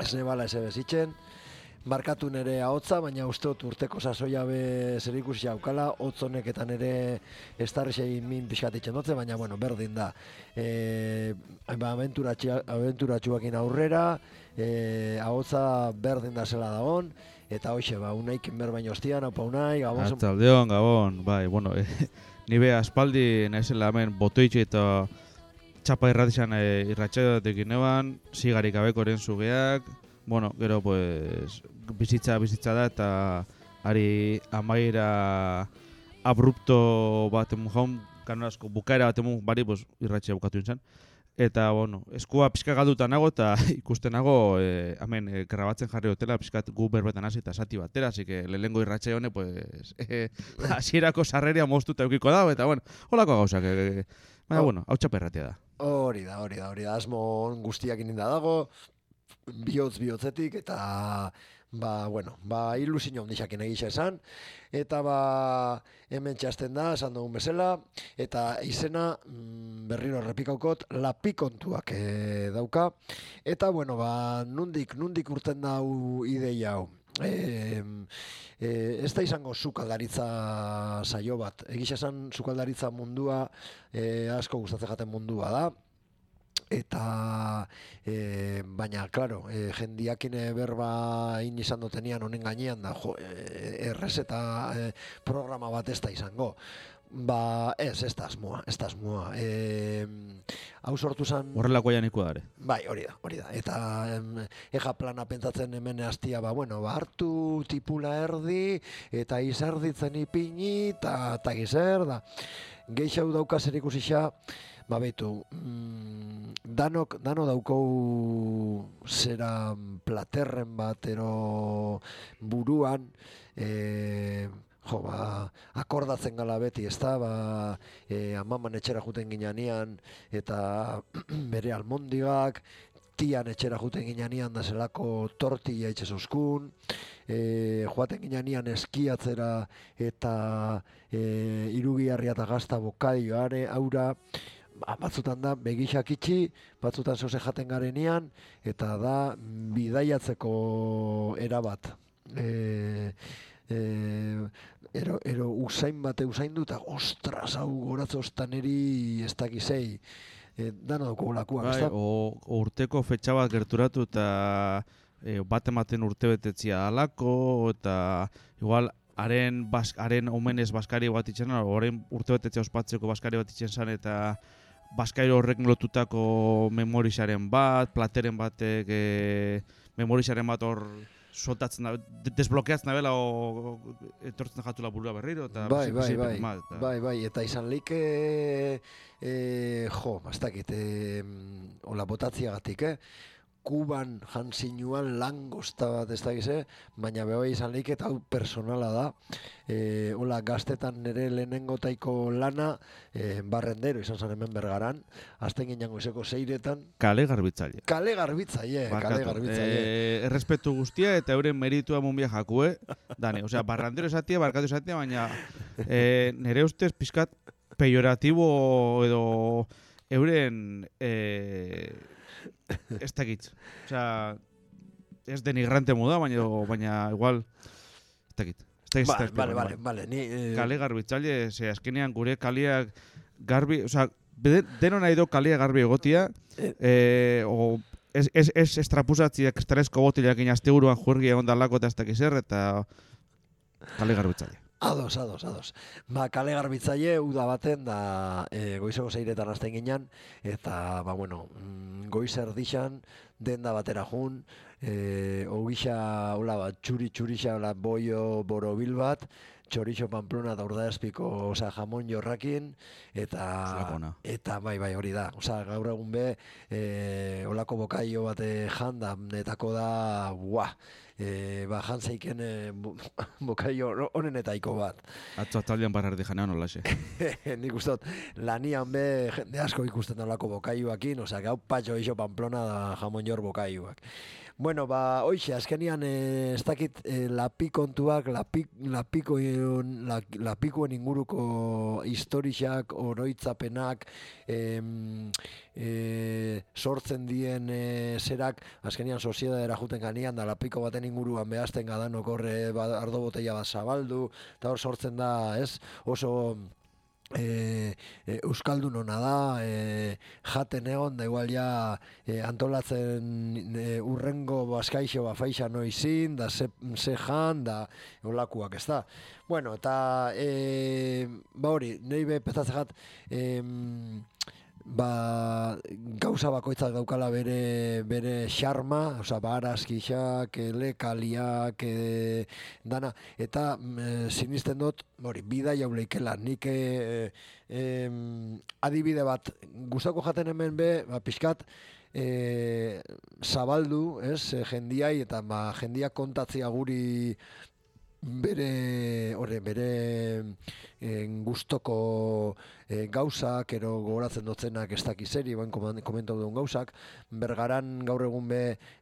ez nebala ez ebezitzen, markatu nere ahotza, baina uste dut urteko sasoia be zer ikusi aukala, hotz honeketan ere estarrixei min pixkat itxen dutze, baina bueno, berdin da. Abenturatxuakin aurrera, ahotza berdin da zela dagon, eta hoxe, unaik berbaino ostian, haupa unai, gabon. Artzaldeon, gabon, bai, bueno, nibe aspaldi naizela hemen botoitxe eta txapa irratizan irratxeatekin neban, sigarik abekoren zugeak, bueno, gero pues bizitza da eta ari amaira abrupto bat emun jaun, kanorazko bukaera bat emun bari pues, irratxea bukatu nintzen. Eta, bueno, eskua pixka galduta nago eta ikusten nago hemen grabatzen jarri hotela pixkat gu berbetan hasi eta sati batera, así que lehengo irratxe hone, pues, hasierako sarreria moztuta eukiko dago, eta, bueno, holako gauzak, baina, bueno, hau txaperratia da. Hori da, asmo guztiak ininda dago, bihotzetik, eta ilusio handiakin egisa esan, eta hemen txasten da, esan dugun bezala, eta izena berriro errepikaukot, lapikontuak dauka, eta nundik urten dau ideia hau. Ez da izango sukaldaritza saio bat, egisa esan sukaldaritza mundua asko gustatzen jaten mundua da, eta baina, klaro, jendiakin berba izan dutenian honen gainean da, errezeta programa bat ez da izango. Ez da asmoa. Hau sortu zen... Horrelako janiko dare. Bai, hori da. Eta eja plana pentsatzen hemen hastia, hartu tipula erdi, eta izerditzen ipini, eta gizer, da. Geixau dauka zer ikusixa, behitu, dano daukou zera platerren bat ero buruan, akordatzen gala beti, ez da, amaman etxera juten ginean, eta bere almondigak, tian etxera juten ginean da zelako tortilla etxe zuzkun, joaten ginean eskiatzera eta irugiarria eta gazta bokadioare, aura, batzutan da begixak itxi, batzutan zoze jaten garenean, eta da bidaiatzeko erabat. Ero usain usaindu eta ostras, hau goratzostan eri ez dakizei. Dano dauko golakuak, ez da? Urteko fetxa bat gerturatu eta bat ematen urte betetzia alako, eta igual haren omenez baskari bat itxen, horrein urte betetzia ospatzeko baskari bat itxen zan, eta baskari horrek lotutako memorizaren bat, plateren batek memorizaren bat hor soltatzen da, desblokeatzen da bela o etortzen jatula burua berriro, eta bai, eta izan like ez dakit, hola botatziagatik, Kuban jansinuan langosta bat ez dakize, baina bebai izan leik eta hau personala da. Hola gaztetan nire lehenengo taiko lana barrendero izan zen hemen Bergaran, azten ginen goizeko 6etan. Kale garbitzaile. Kale garbitzaile. Errespetu guztia eta euren meritua munbia jakue. Dani, osea, barrendero esatia, barkatu esatia, baina nire ustez pizkat pejoratibo edo euren... ez dakit. Osea, ez denigrante moda, baina igual ez dakit. Vale. Kale garbitzaile, azkenean gure kaleak garbi, osea, deno nahi do kalea garbi egotia, ez estrapuzatziak estresko botilak inazteguruan juergi egon dalako eta ez dakiz eta kale garbitzaile. Ados. Kale garbitzaile uda baten da goizeko 6etan hasten ginen, eta goiz erdixan denda batera jun, ogisa txuri-txurixa boio borobil bat, txorixo Pamplona da Urdaezpiko jamon jorrakin, eta bai hori da. Gaur egun be, olako bokaio bat janda, netako da, jantzeiken bokaio honenetaiko bat. Atzo atalian barrardi janean olaxe. Nik ustot, lanian be, jende asko ikusten olako bokaioakin, gau patxo iso Pamplona da jamon jor bokaioak. Bueno, hoxe, azkenian, ez dakit, lapikontuak, lapikoen inguruko historiak, oroitzapenak, sortzen dien zerak, azkenian soziedadera juten ganian, da lapiko baten inguruan behazten gadan okorre ardo botella bat zabaldu, eta hor sortzen da, ez, oso euskaldun hona da, jaten egon, da igual ja antolatzen urrengo baskaixo faixa noizin, da ze jan, da olakuak, ez da. Bueno, eta hori, nahi be petatzat gauza bakoitzak daukala bere xarma, oza, barazkixak, lekaliak, dana, eta sinisten dut, bida jauleikela, nik adibide bat, gustako jaten hemen pixkat, zabaldu, jendiai, eta jendiak kontatzea guri bere gustoko gauzak, ero gogoratzen dutzenak ez dakizeri, komentau duen gauzak, bergaran gaur egun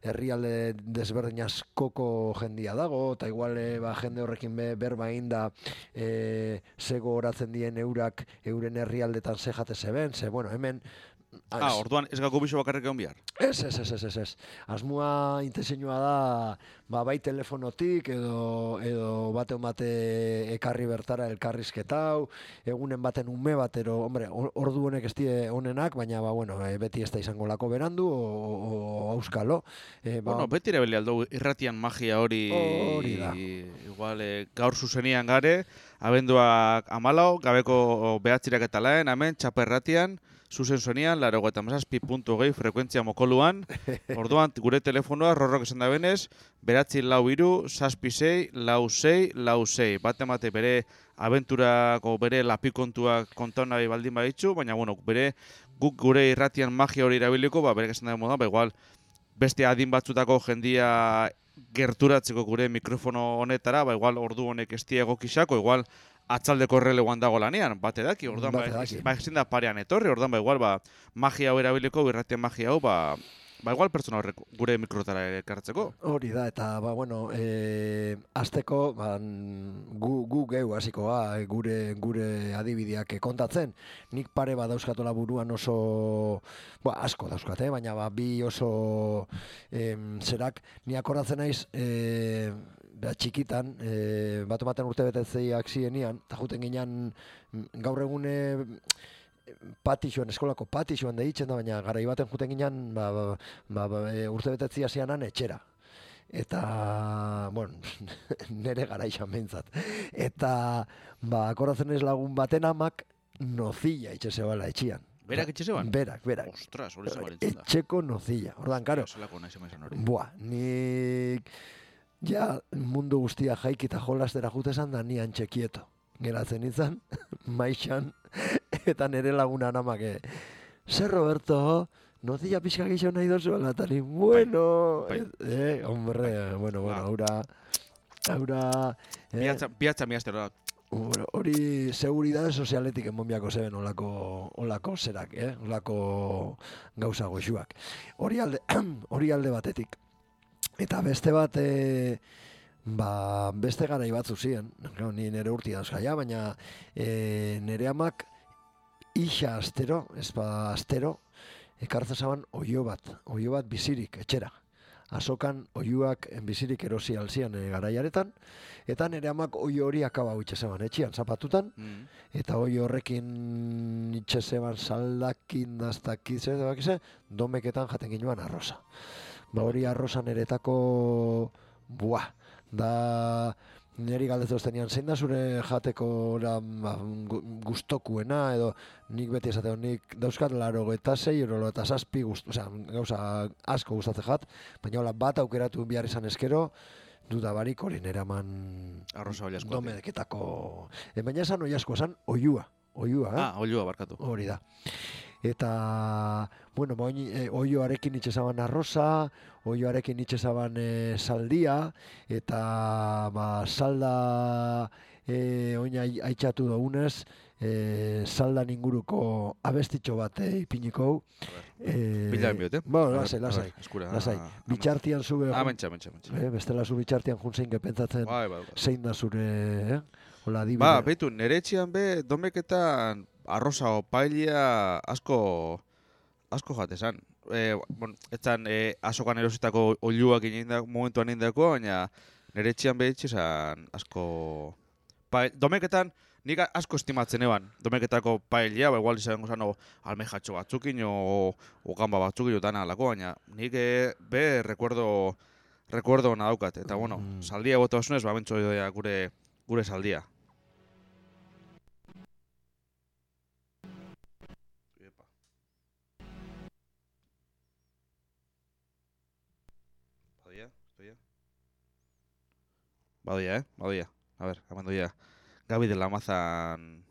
herrialde desberdin askoko jendia dago, eta igual jende horrekin berbain da ze gogoratzen dien euren herrialdetan ze jate zeben, bueno, hemen orduan ez gako biso bakarrik egon bihar? Ez. Asmoa intentzioa da, bai telefonotik edo bate ekarri bertara elkarrizketau, egunen baten ume batero, hombre, ordu honek ez die honenak, baina bueno, beti ez da izango lako berandu o auskalo. Bueno, beti ere beli aldo irratian magia hori da. Igual gaur zuzenian gare, abenduak 14, gabeko 9 eta laen, hemen txapa irratian, zuzen zuenian, 87.2 frekuentzia mokoluan, orduan gure telefonoa rorrok esan da benez, 946-66-66, bate bere abenturako bere lapikontuak kontau nahi baldin baditzu, baina bueno, guk gure irratian magia hori erabiliko, bere esan da moda, igual beste adin batzutako jendia gerturatzeko gure mikrofono honetara, igual ordu honek ez egokixako, igual atzaldeko erreleguan dago lanean, bate daki, orduan ezin da parean etorri, orduan igual magia hau erabiliko, irratien magia hau, igual pertsona horrek gure mikrotara ekartzeko. Hori da, eta bueno, azteko gu geu hasiko gure adibideak kontatzen. Nik pare bat dauzkatola buruan oso, asko dauzkate, baina bi oso zerak, ni akordatzen naiz, txikitan, baten urte betetzeiak zienian, eta juten ginean gaur egune eskolako patixoan deitzen da, baina garai baten juten ginean urte betetzia zianan etxera. Eta, bueno, nere gara izan behintzat. Eta, akordatzen ez lagun baten amak nozilla itxezebala etxian. Berak itxezeban? Berak. Ostras, hori zabarintzen da. Etxeko nozilla. Ordan, karo. Nik mundu guztia jaiki eta jolastera jutezan da nian txekieto. Geratzen izan, maixan, eta nire lagunan amake. Zer, Roberto, nozilla pixka gixo nahi dozu alatari. Bueno, hombre, bueno, aura... Biatza miaztero da. Hori seguridade sozialetik enbonbiako zeben olako zerak, olako gauza goxuak. Hori alde batetik. Eta beste bat, beste garai batzu ziren, ni nire urti dauzkaia, baina nire amak isa astero, astero, ekartzen zaban oio bat bizirik, etxera. Azokan oiuak bizirik erosi alzian garaiaretan, eta nire amak oio hori akaba itxezeban etxian, zapatutan, eta oio horrekin itxezeban saldakin, daztakize, domeketan jaten ginoan arroza. Hori arrozan eretako, da niri galdetu zenian, zein da zure jateko gustokuena, edo nik beti esateo, nik dauzkat 86 euro eta 7 gauza asko gustatzen jat, baina bat aukeratu behar izan eskero, duda barik hori nire eman domeketako, baina esan oi asko, esan oiua. Oiua barkatu. Hori da. Eta, bueno, oioarekin itxezaban arroza, oioarekin itxezaban saldia, eta salda oina aitxatu daunez, saldan inguruko abestitxo bat ipiniko. Bila enbiot, Bueno, lasai. Bitxartian zube... Mentxa. Bestela zu bitxartian juntzein gepentzatzen zein da zure... Hola, adibide. Ba, beitu, nere etxian be, domeketan arroza o paella asko jatesan. Bueno, etzan azokan erositako oiluak momentuan indako, baina nere etxian be etxesan asko... Domeketan nik asko estimatzen eban, domeketako paella, igual izango zano almejatxo batzukin o gamba batzukin dana alako, baina nik be recuerdo ona daukat. Eta bueno, saldia bota osunez, bentso doia gure saldia. Badoia. A ver, amandoia. Gabi de la Mazan.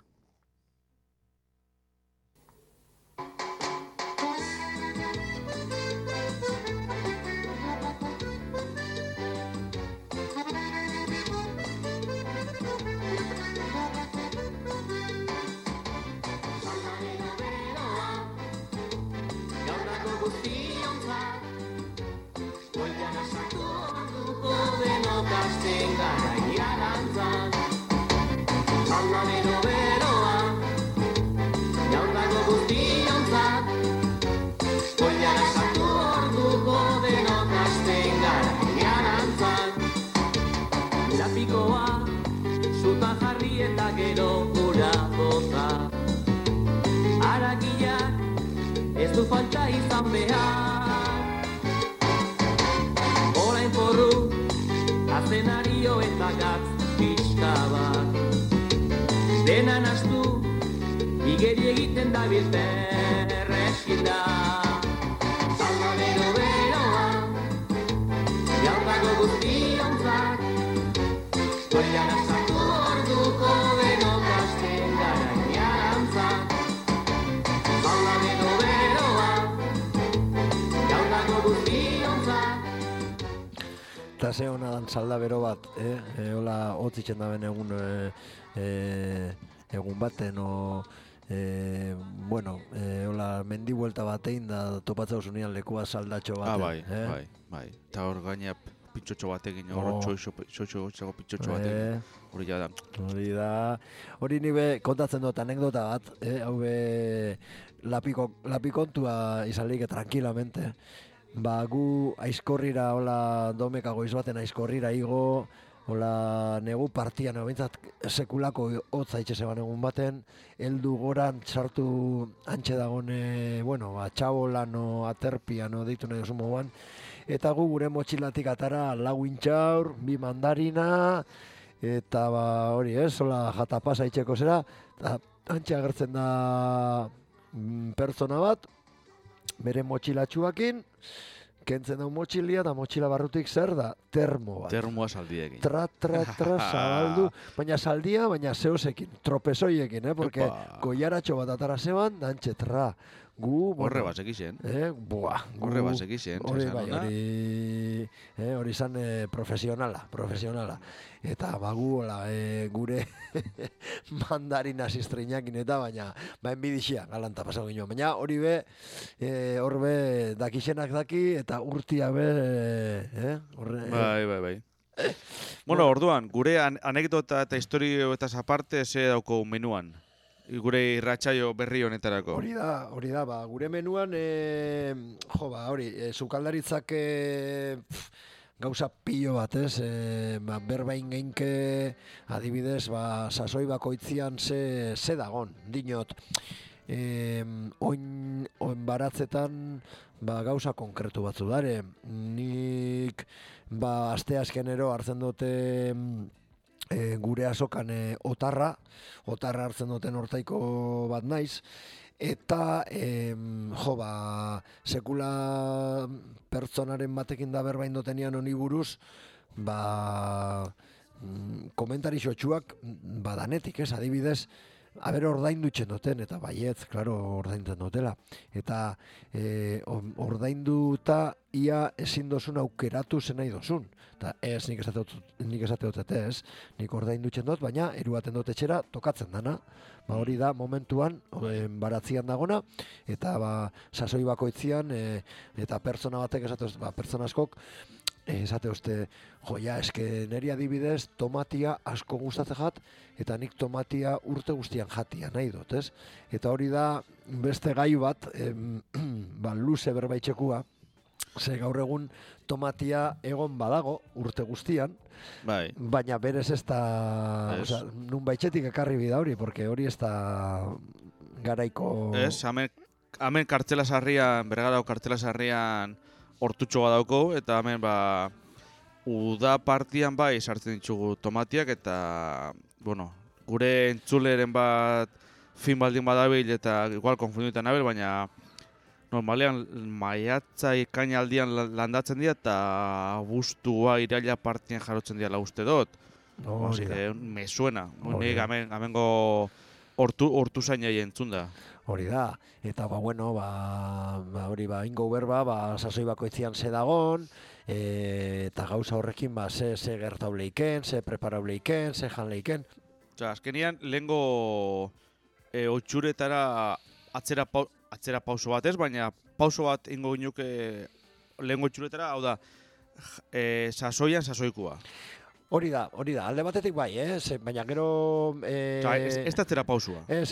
Zutan jarri eta gero gura boza. Aragiak ez du falta izan behar. Orain porru, azenario eta gatz pixka bat. Dena nastu, igeri egiten da bilter eskinda. Salda beroa, jaurdago guztionzak. Goian asatu orduko denok hasten gara inearantzak. Salda beroa, jaurdago guztionzak. Eta ze hona dan salda bero bat, hola hotzitzen da ben egun baten, bueno, hola mendi buelta batein da topatzea usunean lekua saldatxo baten. Bai. Eta hor gaina pitxotxo batekin, hor txoixo pitxotxo batekin. Hori da. Hori nire kontatzen dut anekdota bat, hau be lapikontua izalik tranquilamente. Ba, gu aizkorrira, hola domeka goiz baten aizkorrira igo, hola negu partian, bintzat sekulako hotza itxe zeban egun baten, heldu goran sartu antxe dagoen, bueno, txabolan o aterpian o deitu nahi oso moduan, eta gu gure motxilatik atara lau intxaur, bi mandarina, eta ba hori hola jatapasa itxeko zera, eta antxe agertzen da pertsona bat, bere motxilatxuakin, kentzen dau motxilia, eta motxila barrutik zer da? Termo bat. Termoa saldiekin. Tra, zabaldu, baina saldia, baina zeosekin, tropezoiekin, porque goiaratxo bat atara zeban, dantxe, gu... Horre basekixen. Horre basekixen. Hori izan profesionala. Eta bagu, gure mandarina ziztrinakin eta baina enbidixia galanta pasau gino. Baina hori be, horbe dakixenak daki eta urtia be... Bai. Bueno, orduan, gure anekdota eta historio eta aparte ze dauko menuan? Gure irratsaio berri honetarako. Hori da, gure menuan, sukaldaritzak gauza pilo bat, berbain geinke, adibidez, sasoi bakoitzian ze dagon, dinot. Oin baratzetan gauza konkretu batzu dare. Nik asteazkenero hartzen dute gure azokan otarra hartzen duten hortaiko bat naiz, eta sekula pertsonaren batekin da berbain dotenian honi buruz, komentari xotxuak badanetik, adibidez, Aber ordaindutzen duten, eta baietz, klaro, ordaintzen dutela. Eta ordainduta ia ezin dozun aukeratu zen nahi dozun. Eta ez, nik esate dut ez, nik ordaindutzen dut, baina eruaten dut etxera tokatzen dana. Ba, hori da momentuan baratzian dagona, eta sasoi bakoitzian, eta pertsona batek pertsona askok, esate uste, eske neri adibidez tomatia asko gustatzen jat, eta nik tomatia urte guztian jatia nahi dut, ez? Eta hori da beste gai bat, luze berbaitxekua, ze gaur egun tomatia egon badago urte guztian, Bai. baina berez ez da, nun baitxetik ekarri bida hori, porque hori ez da garaiko... Ez, hemen kartzela sarrian, Bergarako kartzela sarrian hortutxo badauko, eta hemen uda partian bai sartzen ditugu tomatiak, eta, bueno, gure entzuleren bat fin baldin badabil, eta igual konfunduetan nabil, baina normalean maiatza ekaina aldian landatzen dira, eta abuztua iraila partian jarotzen dira uste dut. Hori da. Me suena, nik hemengo hortu zainai entzun da. Hori da, eta hori ingo berba, sasoi bakoitzian ze dagon, eta gauza horrekin ze gertauleiken, ze preparauleiken, ze janleiken. Azkenian, lehengo otxuretara atzera pauso bat ez, baina pauso bat ingo ginuke lehengo otxuretara, hau da, sasoian sasoikua. Hori da, alde batetik bai, baina gero... Ez da atzera pausua. Ez.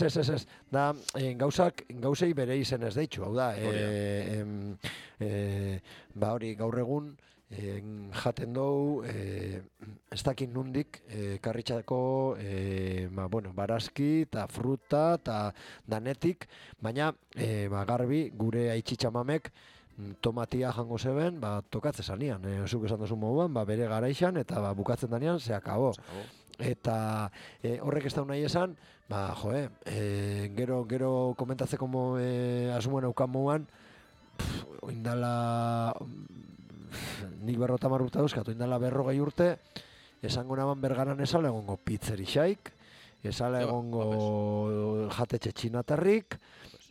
Da, gauzei bere izen ez deitxu, hau da. Hori, gaur egun, jaten dugu, ez dakit nundik, karritxako, barazki eta fruta eta danetik, baina garbi gure aitxitxamamek tomatia jango zeben, tokatze zanian, zuk esan duzu moduan, bere garaixan, eta bukatzen danean, ze akabo. Eta horrek ez da nahi esan, gero komentatzeko asmoen aukan moduan, oindala, nik 50 urte dauzkat, oindala 40 urte, esango naban Bergaran esala egongo pizzerixaik, esala egongo jatetxe txinatarrik,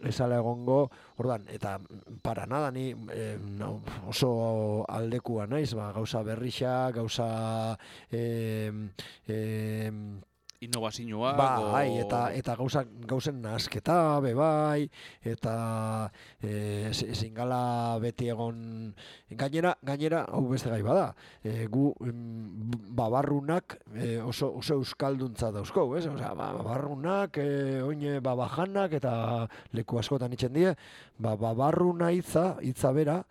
esala egongo, ordan, eta para nada ni oso aldekua naiz, gauza berrixa, gauza innovazioa. Eta gauzen nasketa, bai, eta ezin gala beti egon, gainera, hau beste gai bada, gu babarrunak oso euskalduntza dauzko, ez? Babarrunak, oine babajanak, eta leku askotan itzen die, babarruna hitza bera,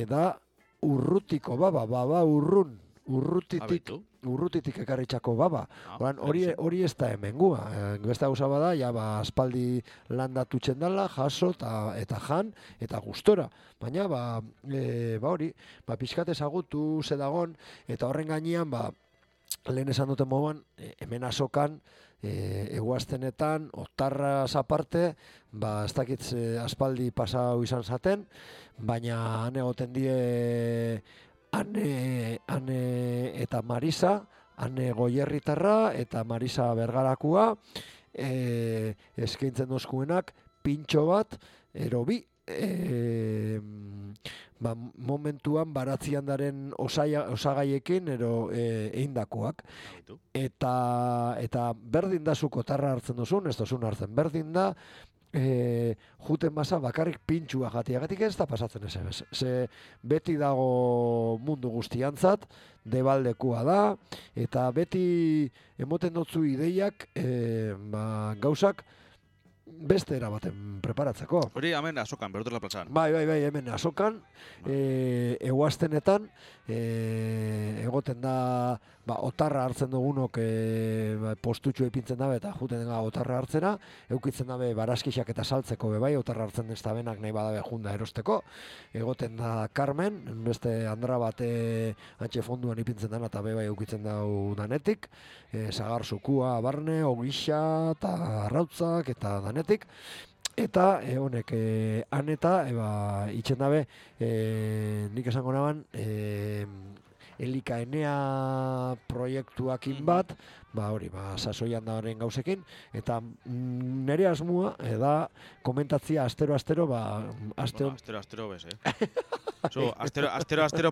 da urrutiko baba urrun, urrutitik ekarritxako baba. Hori ez da hemengua. Beste gauza bada, aspaldi landatutzen dela, jaso eta jan, eta gustora. Baina, hori, pixkat ezagutu zedagon, eta horren gainean, lehen esan duten moduan, hemen azokan, eguaztenetan, otarraz aparte, ez dakit aspaldi pasau izan zaten, baina han egoten die Ane eta Marisa, Ane Goierritarra eta Marisa Bergarakua, eskaintzen dozkuenak pintxo bat, erobi, momentuan baratzian daren osagaiekin eindakoak. Eta berdin da zuk otarra hartzen duzun, ez duzun hartzen berdin da, juten basa bakarrik pintxua jatiagatik ez da pasatzen ez. Ze beti dago mundu guztiantzat, debaldekua da, eta beti emoten dutzu ideiak gauzak beste erabaten preparatzeko. Hori hemen azokan, Berotela plazan. Bai, hemen azokan, eguaztenetan, egoten da, otarra hartzen dugunok postutxo ipintzen dabe eta juten da otarra hartzena, eukitzen dabe barazkixak eta saltzeko bai, otarra hartzen ez da benak nahi badabe junda erosteko, egoten da Carmen, beste andra bate antxe fonduan ipintzen dana eta bai eukitzen dau danetik, zagarzukua, barne, ogixa eta arrautzak eta danetik, eta honek aneta itxen dabe nik esango naban elikaenea proiektuakin bat, hori, sasoian da horren gauzekin, eta nire asmoa, da komentatzia astero, aste Astero bez, Astero,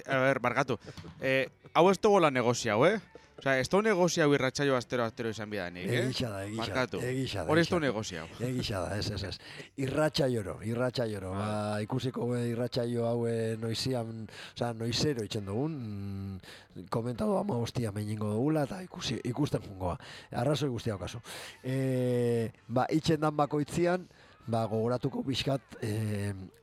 a ver, barkatu. Hau ez dugu la negozia, Osea, ez dugu negozia hau irratsaio astero izan bidanik, Egisa da. Hori ez dugu negozia. Egisa da, ez. Irratsaioro. Ikusiko irratsaio hau noizian, noizero itzen dugun, komentatu ama hostia meningo dugula, eta ikusten jungoa. Arrazoi guztia okazu. Itzen dan bakoitzian, gogoratuko pixkat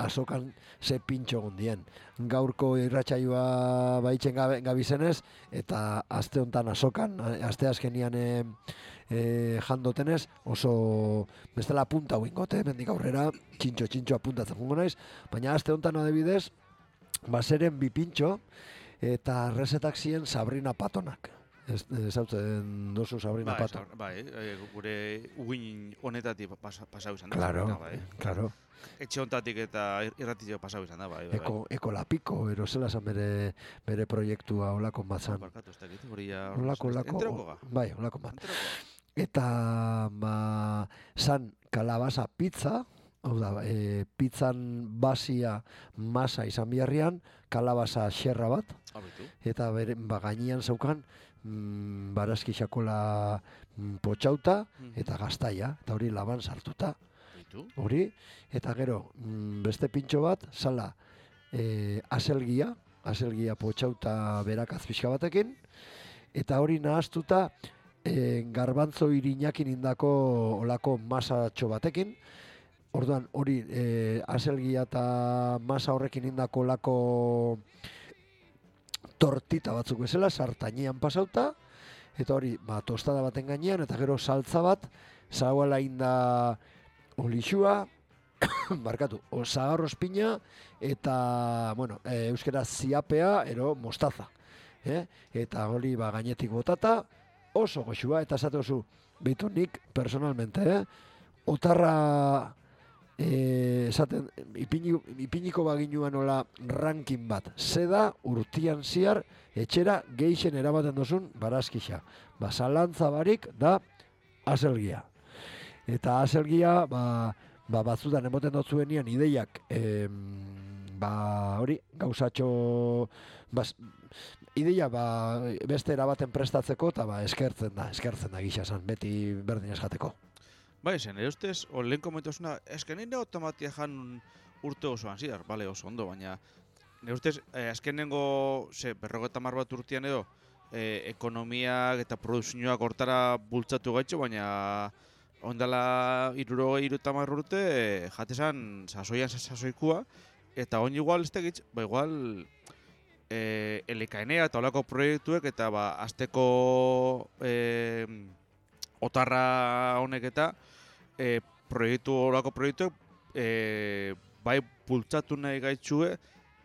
azokan ze pintxo gondien. Gaurko irratsaioa baitzen gabizenez, eta aste hontan azokan, aste azkenian jandotenez, oso bestela punta huingote, mendik aurrera, txintxo apuntatzen jungo naiz, baina aste hontan adibidez, zeren bi pintxo, eta resetak ziren Sabrina Patonak. Ezautzen dozu Sabrina Pato. Gure uguin honetatik pasau izan da. Claro. Etxe honetatik eta irratitio pasau izan da, bai. Eko lapiko, erozela zan bere proiektua olako bat zan. Barkatu, ez dakit, hori ja... Olako. Bai, olako bat. Eta, zan kalabaza pizza, hau da, pizzan basia masa izan biharrian, kalabaza xerra bat, eta gainean zaukan, barazki xakola potxauta eta gaztaia, eta hori laban sartuta. Hori, eta gero, beste pintxo bat, zala, azelgia potxauta berakaz pixka batekin, eta hori nahaztuta, garbantzo irinakin indako olako masatxo batekin, orduan, hori, azelgia eta masa horrekin indako olako tortita batzuk bezala, sartainean pasauta, eta hori, tostada baten gainean, eta gero saltza bat, zagoela inda olixua, zagarros pina, eta, euskera ziapea, mostaza. Eta hori, gainetik botata, oso goxua, eta esate oso, behitu nik, personalmente, otarra, esaten, ipiniko baginuan nola ranking bat. Zeda urtian ziar etxera geixen eramaten dozun barazkixa. Zalantza barik da azelgia. Eta azelgia, batzutan emoten dotzuenian ideiak, hori, gauzatxo, ideia beste erabaten prestatzeko, eta eskertzen da gisa zan, beti berdin esateko. Bai, zen, ere ustez, lehen komentuzuna, esken nire automatia jan urte osoan zidar, bale, oso ondo, baina nire ustez, azkenengo, 50 bat urtean edo, ekonomiak eta produzioak hortara bultzatu gaitxo, baina ondala 60 urte, jatezan sasoikoa, eta on igual, ez tegitz, igual, elikaenea eta olako proiektuek, eta azteko otarra honek eta olako proiektuek bai bultzatu nahi gaitxue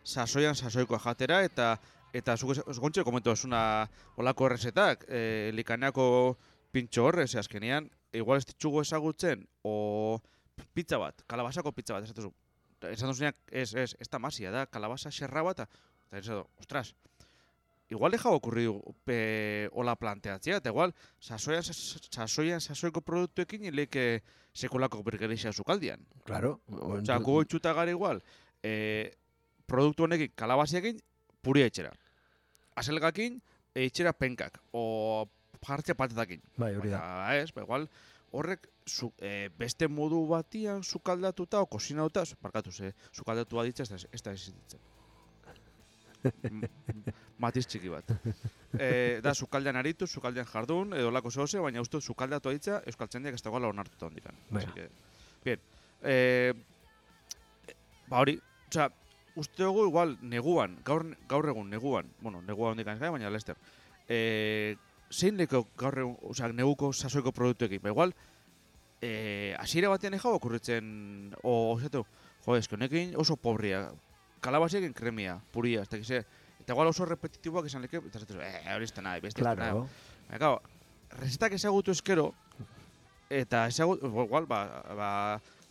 sasoikoa jatera, eta zuk gontxe komentu esuna olako errezetak, elikaeneako pintxo horrez, azkenean, igual ez ditzugu ezagutzen, o pizza bat, kalabasako pizza bat, esan duzuneak, ez da masia, da kalabasa xerra bat, eta ez edo, ostras, igual deja okurridu hola planteatzea, eta igual sasoiko produktuekin ileke sekolako bergerixia zukaldian. Claro. Osa, gugo itxuta gara igual, produktu honekin kalabasiakin puria etxera. Azelgakin etxera penkak, o jartzea patatakin. Bai, hori da. Ez, igual horrek beste modu batian sukaldatuta o kozinauta, barkatu, sukaldatu baditza ez da existitzen. Matiz txiki bat. Da, sukaldean aritu, sukaldean jardun, edo lako zehose, baina uste sukaldatu aditza, euskaltzendiak ez dagoela onartuta hondikan. Bien. Hori, osea, uste dugu igual neguan, gaur egun neguan, negua hondikan ez gai, baina lester. Zein leko gaur egun, osea, neguko sasoiko produktuekin, igual, hasiera batean ejau okurritzen, osatu, eske honekin oso pobria, kalabasiekin kremia, puria, ez dakize, eta igual oso repetitiboak izan leke, eta zaten, hori ez da nahi, beste ez da nahi. Baina, rezetak ezagutu eskero, eta ezagutu, igual,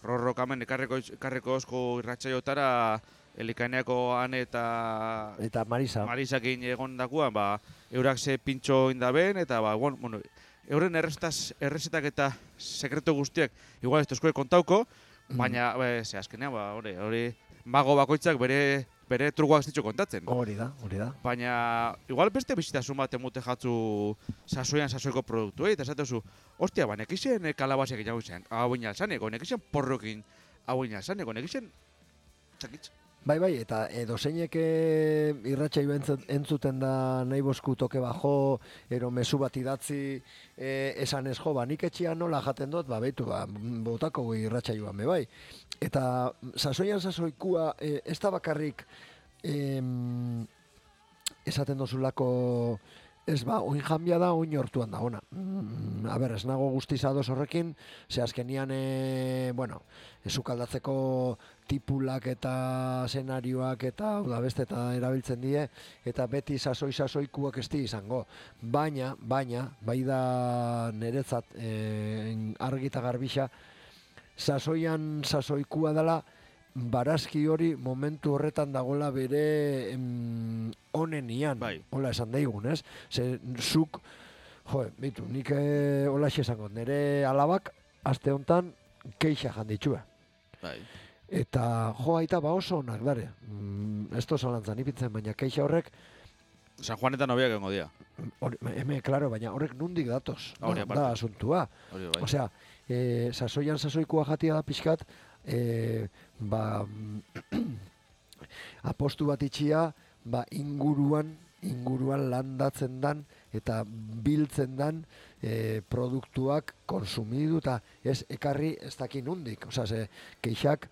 rorrokamen ekarreko osko irratxaiotara Elikaineako Ane eta Eta Marisa. Marisakin egon dakuan, eurak ze pintxo indaben, eta bueno, euren errezetak eta sekretu guztiak igual ez tozkoe kontauko, baina, ze azkenean, hori mago bakoitzak bere trugoak zitxo kontatzen. Hori da. Baina, igual beste bizitasun bat emute jatzu sasoiko produktuei, eta esatezu, ostia, nekixen kalabaziak hau inalzaneko, nekixen porrokin hau inalzaneko, nekixen txakitz. Bai, eta dozeinek irratsaio entzuten da nahi bosku toke bajo, ero mezu bat idatzi esan ez jo, nik etxean nola jaten dut, beitu, botako irratsaioan be bai. Eta sasoikua ez da bakarrik esaten dozulako ez oin jambia da, oin hortuan da, ona. Ez nago guztiz ados horrekin, ze azkenian, esukaldatzeko tipulak eta senarioak eta beste eta erabiltzen die, eta beti sasoikuak ez di izango. Baina, bai da niretzat argi eta garbixa, sasoikua dela, barazki hori momentu horretan dagola bere onenian, hola esan daigun, ez? Ze zuk, bitu, nik hola esango, nire alabak, aste hontan, keixa janditxua. Eta aita oso onak dare. Ez to zalantzan ipitzen, baina keixa horrek San Juan eta nobiak egongo dira. Claro, baina horrek nundik datoz. Da asuntua. Osea, sasoikua jatia da pixkat, apostu bat itxia, inguruan landatzen dan eta biltzen dan produktuak konsumidu eta ez ekarri ez dakin nundik. Osea, ze keixak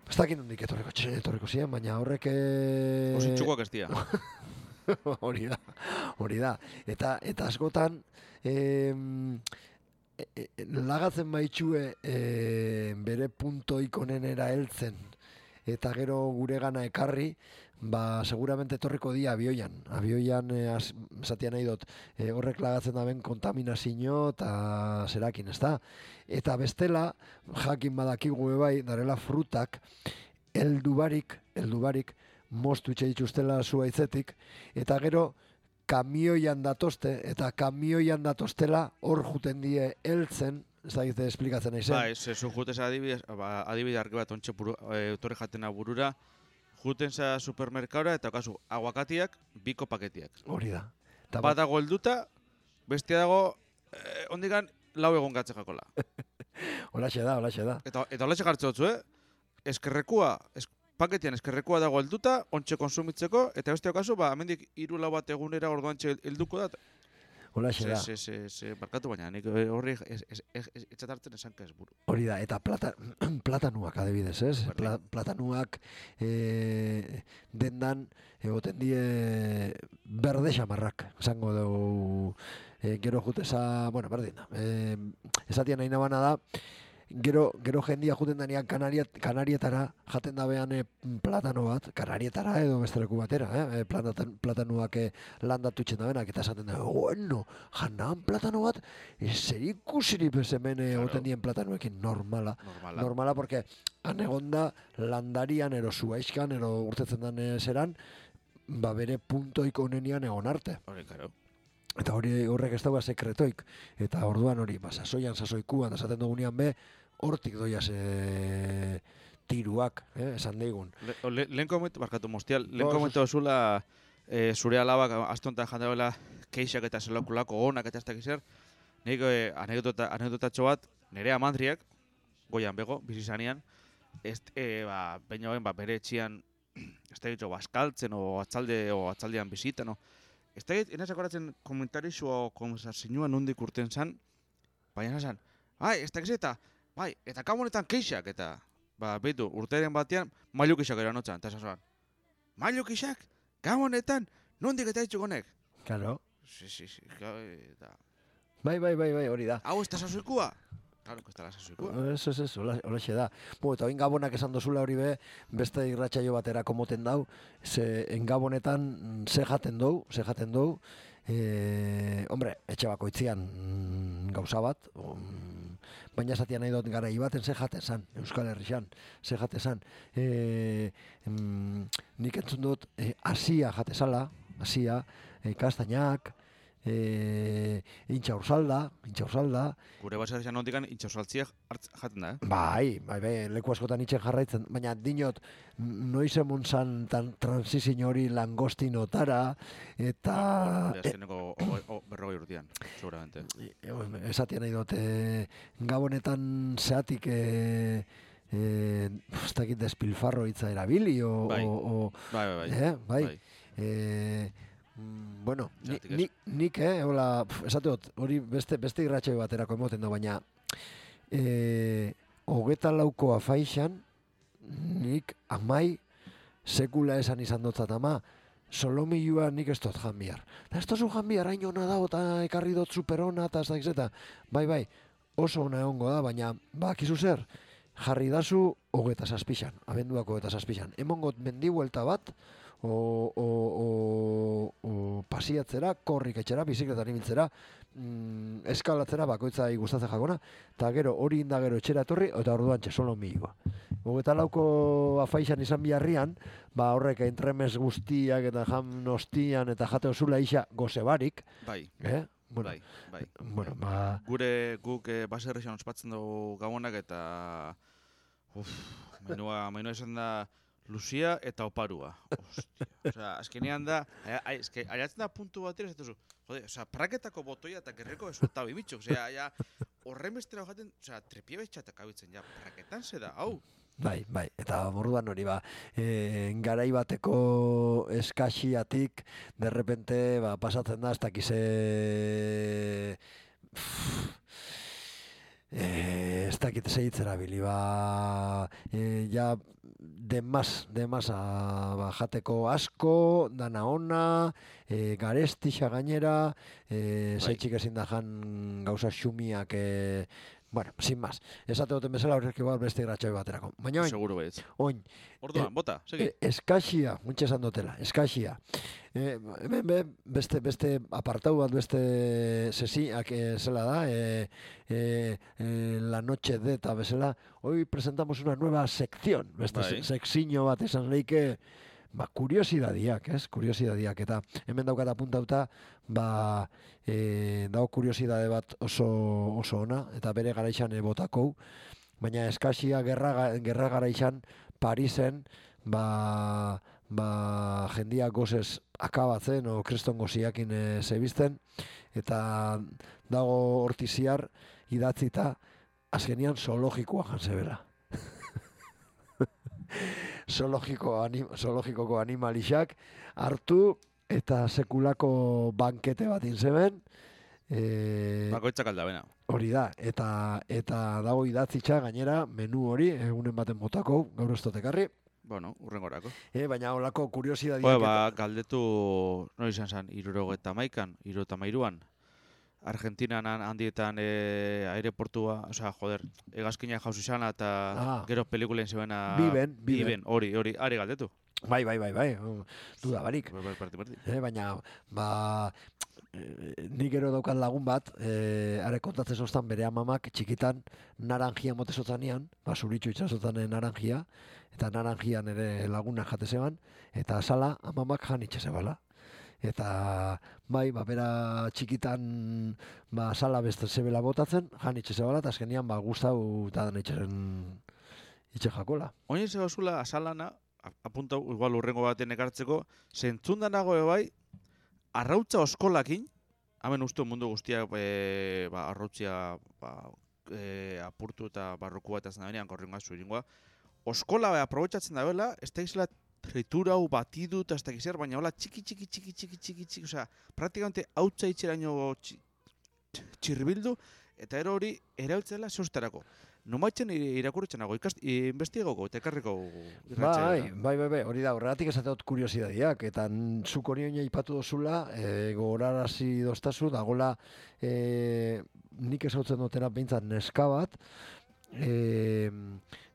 ez dakin nundik etorriko ziren, baina horrek... Ositxukoak ez dira. Hori da. Eta askotan lagatzen baitxue bere puntoik onenera heltzen eta gero gure gana ekarri, seguramente etorriko dia abioian. Abioian, esatia nahi dut, horrek lagatzen daben kontaminazio eta zerakin, ez da? Eta bestela, jakin badakigu bai, darela frutak, heldubarik, moztu itxe dituztela zuaitzetik, eta gero kamioian datozte, eta kamioian datoztela hor juten die heltzen, ez da gizte esplikatzen nahi zen. Zu jutez adibide arki bat ontxe torre jatena burura, juten za supermerkaura eta okazu aguakatiak, biko paketiak. Hori da. Bat dago helduta, bestia dago, ondikan lau egon gatze jakola. Holaxe da. Eta holaxe jartze dutzu, paketian eskerrekua dago helduta, ontxe konsumitzeko, eta beste okazu, hemendik 3-4 bat egunera orduantxe helduko da. Holaxe da. Barkatu baina, nik horri etxatartzen esanka ez buru. Hori da, eta platanuak adibidez, ez? Platanuak dendan egoten die berde xamarrak, esango dugu, gero juteza, berdin da. Esatian nahi nabana da, Gero jendia juten danean Kanarietara jaten dabean platano bat, Kanarietara edo besteleku batera, platanuak landatutxen dabenak, eta esaten da, janan platano bat, zer ikusiri hemen egoten dien platanuekin normala, porque han egonda landarian, ero zuaizkan, ero urtetzen den zeran, bere puntoik onenian egon arte. Eta horrek ez dagoa sekretoik. Eta orduan hori, sasoikuan, esaten dugunean hortik doiaz tiruak, esan deigun. Lehen komentu, barkatu mostial, lehen komentu zula zure alabak astonta jandabela keixak eta zelakulako onak eta ez dakiz zer. Nik anekdotatxo bat, nire amandriak, goian bego, bizizanean, baina bere etxian, ez da ditxo, baskaltzen o atzaldean bizitan, ez da dit, enaz akoratzen komentarixo o konversazioa nondik urten zan, baina zan, ez da gizeta, eta kamonetan keixak, eta, behitu, urteren batean, mailu keixak eranotzan, eta esasoan, mailu keixak, kamonetan, nondik eta ditxukonek? Claro. Sí, eta... Bai, hori da. Hau, ez da sasoikua? Claro, ez da la sasoikua. Eso, holaxe da. Eta oin gabonak esan dozula hori beste irratsaio batera komoten dau, en gabonetan ze jaten dou, hombre, etxe bakoitzian gauza bat, baina esatia nahi dut garai baten ze jate zan, Euskal Herrian, ze jate zan. Nik entzun dut, asia jate zala, asia, kastainak, intxaursalda. Gure baserrian nondikan intxausaltziak jaten da, Bai, leku askotan itxen jarraitzen, baina dinot, noiz emun zan transizin hori langostinotara, eta... Azkeneko 40 urtean, seguramente. Esatia nahi dut, gabonetan zeatik, ez dakit despilfarro hitza erabili, Bai. Bueno, nik, hola, esate dut, hori beste irratxe baterako emoten da, baina 24 afaixan, nik amai sekula esan izan dotzat ama, solomilua nik ez dut jan bihar. Da ez dozu jan bihar, hain hona dago, eta ekarri dut superona, eta ez da izeta. Bai, oso ona egongo da, baina, kizu zer, jarri dazu 27, abenduako 27. Emongot mendibuelta bat, o pasiatzera, korrik etxera, bizikletan ibiltzera, eskalatzera bakoitza gustatzen jakona, eta gero hori inda gero etxera etorri, eta orduan txesolo milua. 24 afaixan izan biharrian, horrek entremes guztiak eta jam nostian eta jate osula isa gozebarik. Bai. Bueno, bai. Guk baserrian ospatzen dugu gabonak eta menua izan da Lucia eta oparua. Ostia. Osea, azkenean da, ariatzen da puntu batera, ez duzu, praketako botoia eta gerreko esulta bibitxo. Osea, horren bestera hojaten, trepie betxatak abitzen, praketan ze da, hau. Bai, eta borduan hori garai bateko eskaxiatik, derrepente, pasatzen da, ez dakize... ez dakit segitzera bili, ja demaz jateko asko, dana ona, garestixa gainera, zeitxik ezin da jan gauza xumiak, bueno, sin más. Esate duten bezala horrek igual beste gratxoi baterako. Baina oin, seguro baiz. Oin, orduan, bota, segi. Eskaxia, muntxe esan dutela, eskaxia. Hemen beste apartau bat, beste sesiak zela da, la noche de eta bezala, hoy presentamos una nueva sección, beste sekzio bat esan leike, kuriosidadiak, kuriosidadiak, eta hemen daukat apuntauta, dago kuriosidade bat oso ona, eta bere garaixan botakou, baina eskaxia gerra garaixan Parisen, jendia gozez akabatzen, o kriston goziakin zebizten, eta dago hortiziar idatzita, azkenian zoologikoa jantzebela. Zoologikoko animalixak hartu eta sekulako bankete bat inzeben. Bakoitzak aldabena. Hori da, eta dago idatzitza gainera menu hori, egunen baten botako, gaur ez totekarri. Bueno, urrengorako. Baina holako kuriosidadiak... galdetu, no izan zen, 73an, Argentinan handietan aireportua, hegazkina jauzi zana eta gero pelikulen zebena... Biben, hori, ari galdetu. Bai, duda barik. Baina, nik gero daukat lagun bat, are kontatzen zoztan bere amamak txikitan naranjia motezotzanean, zuritxu itxazotan naranjia, eta naranjian ere lagunak jate zeban, eta asala amamak jan itxezebala. Eta bera txikitan sala beste zebela botatzen, jan itxezebala, eta azkenian gustau eta dan itxe jakola. Oin ez gauzula asalana, apuntau, igual urrengo baten ekartzeko, zentzundan nago bai, arrautza oskolakin, hemen uste mundu guztiak arrautzia apurtu eta barrokua eta zendabenean korrengoa zuringoa, oskola aprobetxatzen da bela, ez da izela tritura hau batidu eta ez da gizer, baina hola txiki, osea, praktikamente hautza itxeraino txirbildu, eta ero hori erabiltzela zeustarako. Nomaitzen irakurritzen nago, investigoko, eta ekarriko irratxea. Bai, hori da, horregatik esate dut kuriosidadiak, eta zuk hori oina ipatu dozula, gogorarazi doztazu, dagoela nik esautzen dutena behintzat neska bat,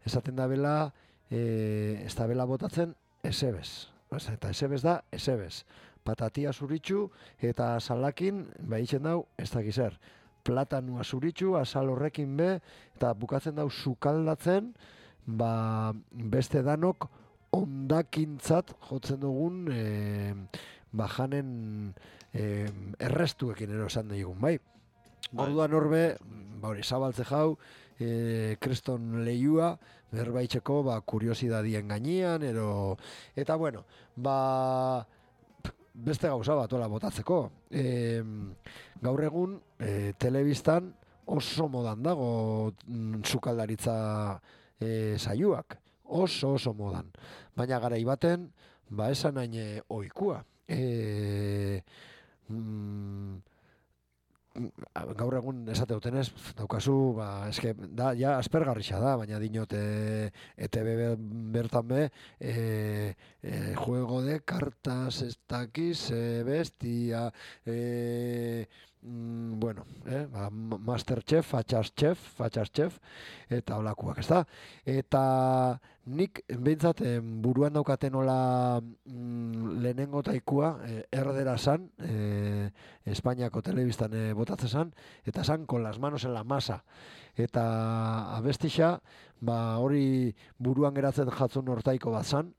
esaten da bela, ez da bela botatzen, esebez. Eta esebez da, esebez. Patatia zuritxu, eta salakin, behitzen dau, ez da gizer. platanua zuritsu, azal horrekin be, eta bukatzen dau sukaldatzen, beste danok ondakintzat jotzen dugun janen errestuekin esan digun, bai? Orduan horbe, hori, zabaltze jau, kreston lehiua, berbaitzeko, kuriosidadien gainean, eta bueno, beste gauza bat ola botatzeko. Gaur egun, telebistan oso modan dago sukaldaritza saioak, oso modan. Baina garai baten, esan hain oikua. Gaur egun esate dutenez, daukazu, eske, ja aspergarrixa da, baina dinot ETV bertan be, juego de cartas, ez dakiz, bestia, bueno, Masterchef, Fatxaschef, eta holakoak, ez da? Eta nik, behintzat, buruan daukaten hola lehenengo taikua, erdera zan, Espainiako telebistan botatzen zan, eta zan, con las manos en la masa. Eta abestixa, hori buruan geratzen jatzun hortaiko bat zan,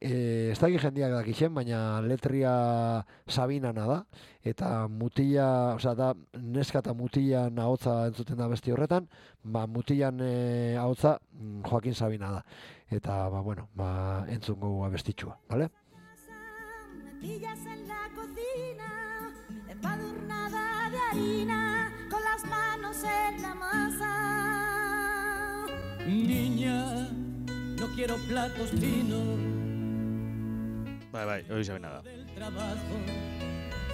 ez dakik jendiak dakixen, baina letria Sabinana da, eta mutila, da neska eta mutilan ahotza entzuten da besti horretan, mutilan ahotza Joaquin Sabina da. Eta, bueno, entzungo abestitxua, bale? Me pillas en la cocina, empadurnada de harina, con las manos en la masa. Niña, no quiero platos finos. Bai, hori Sabina da. Del trabajo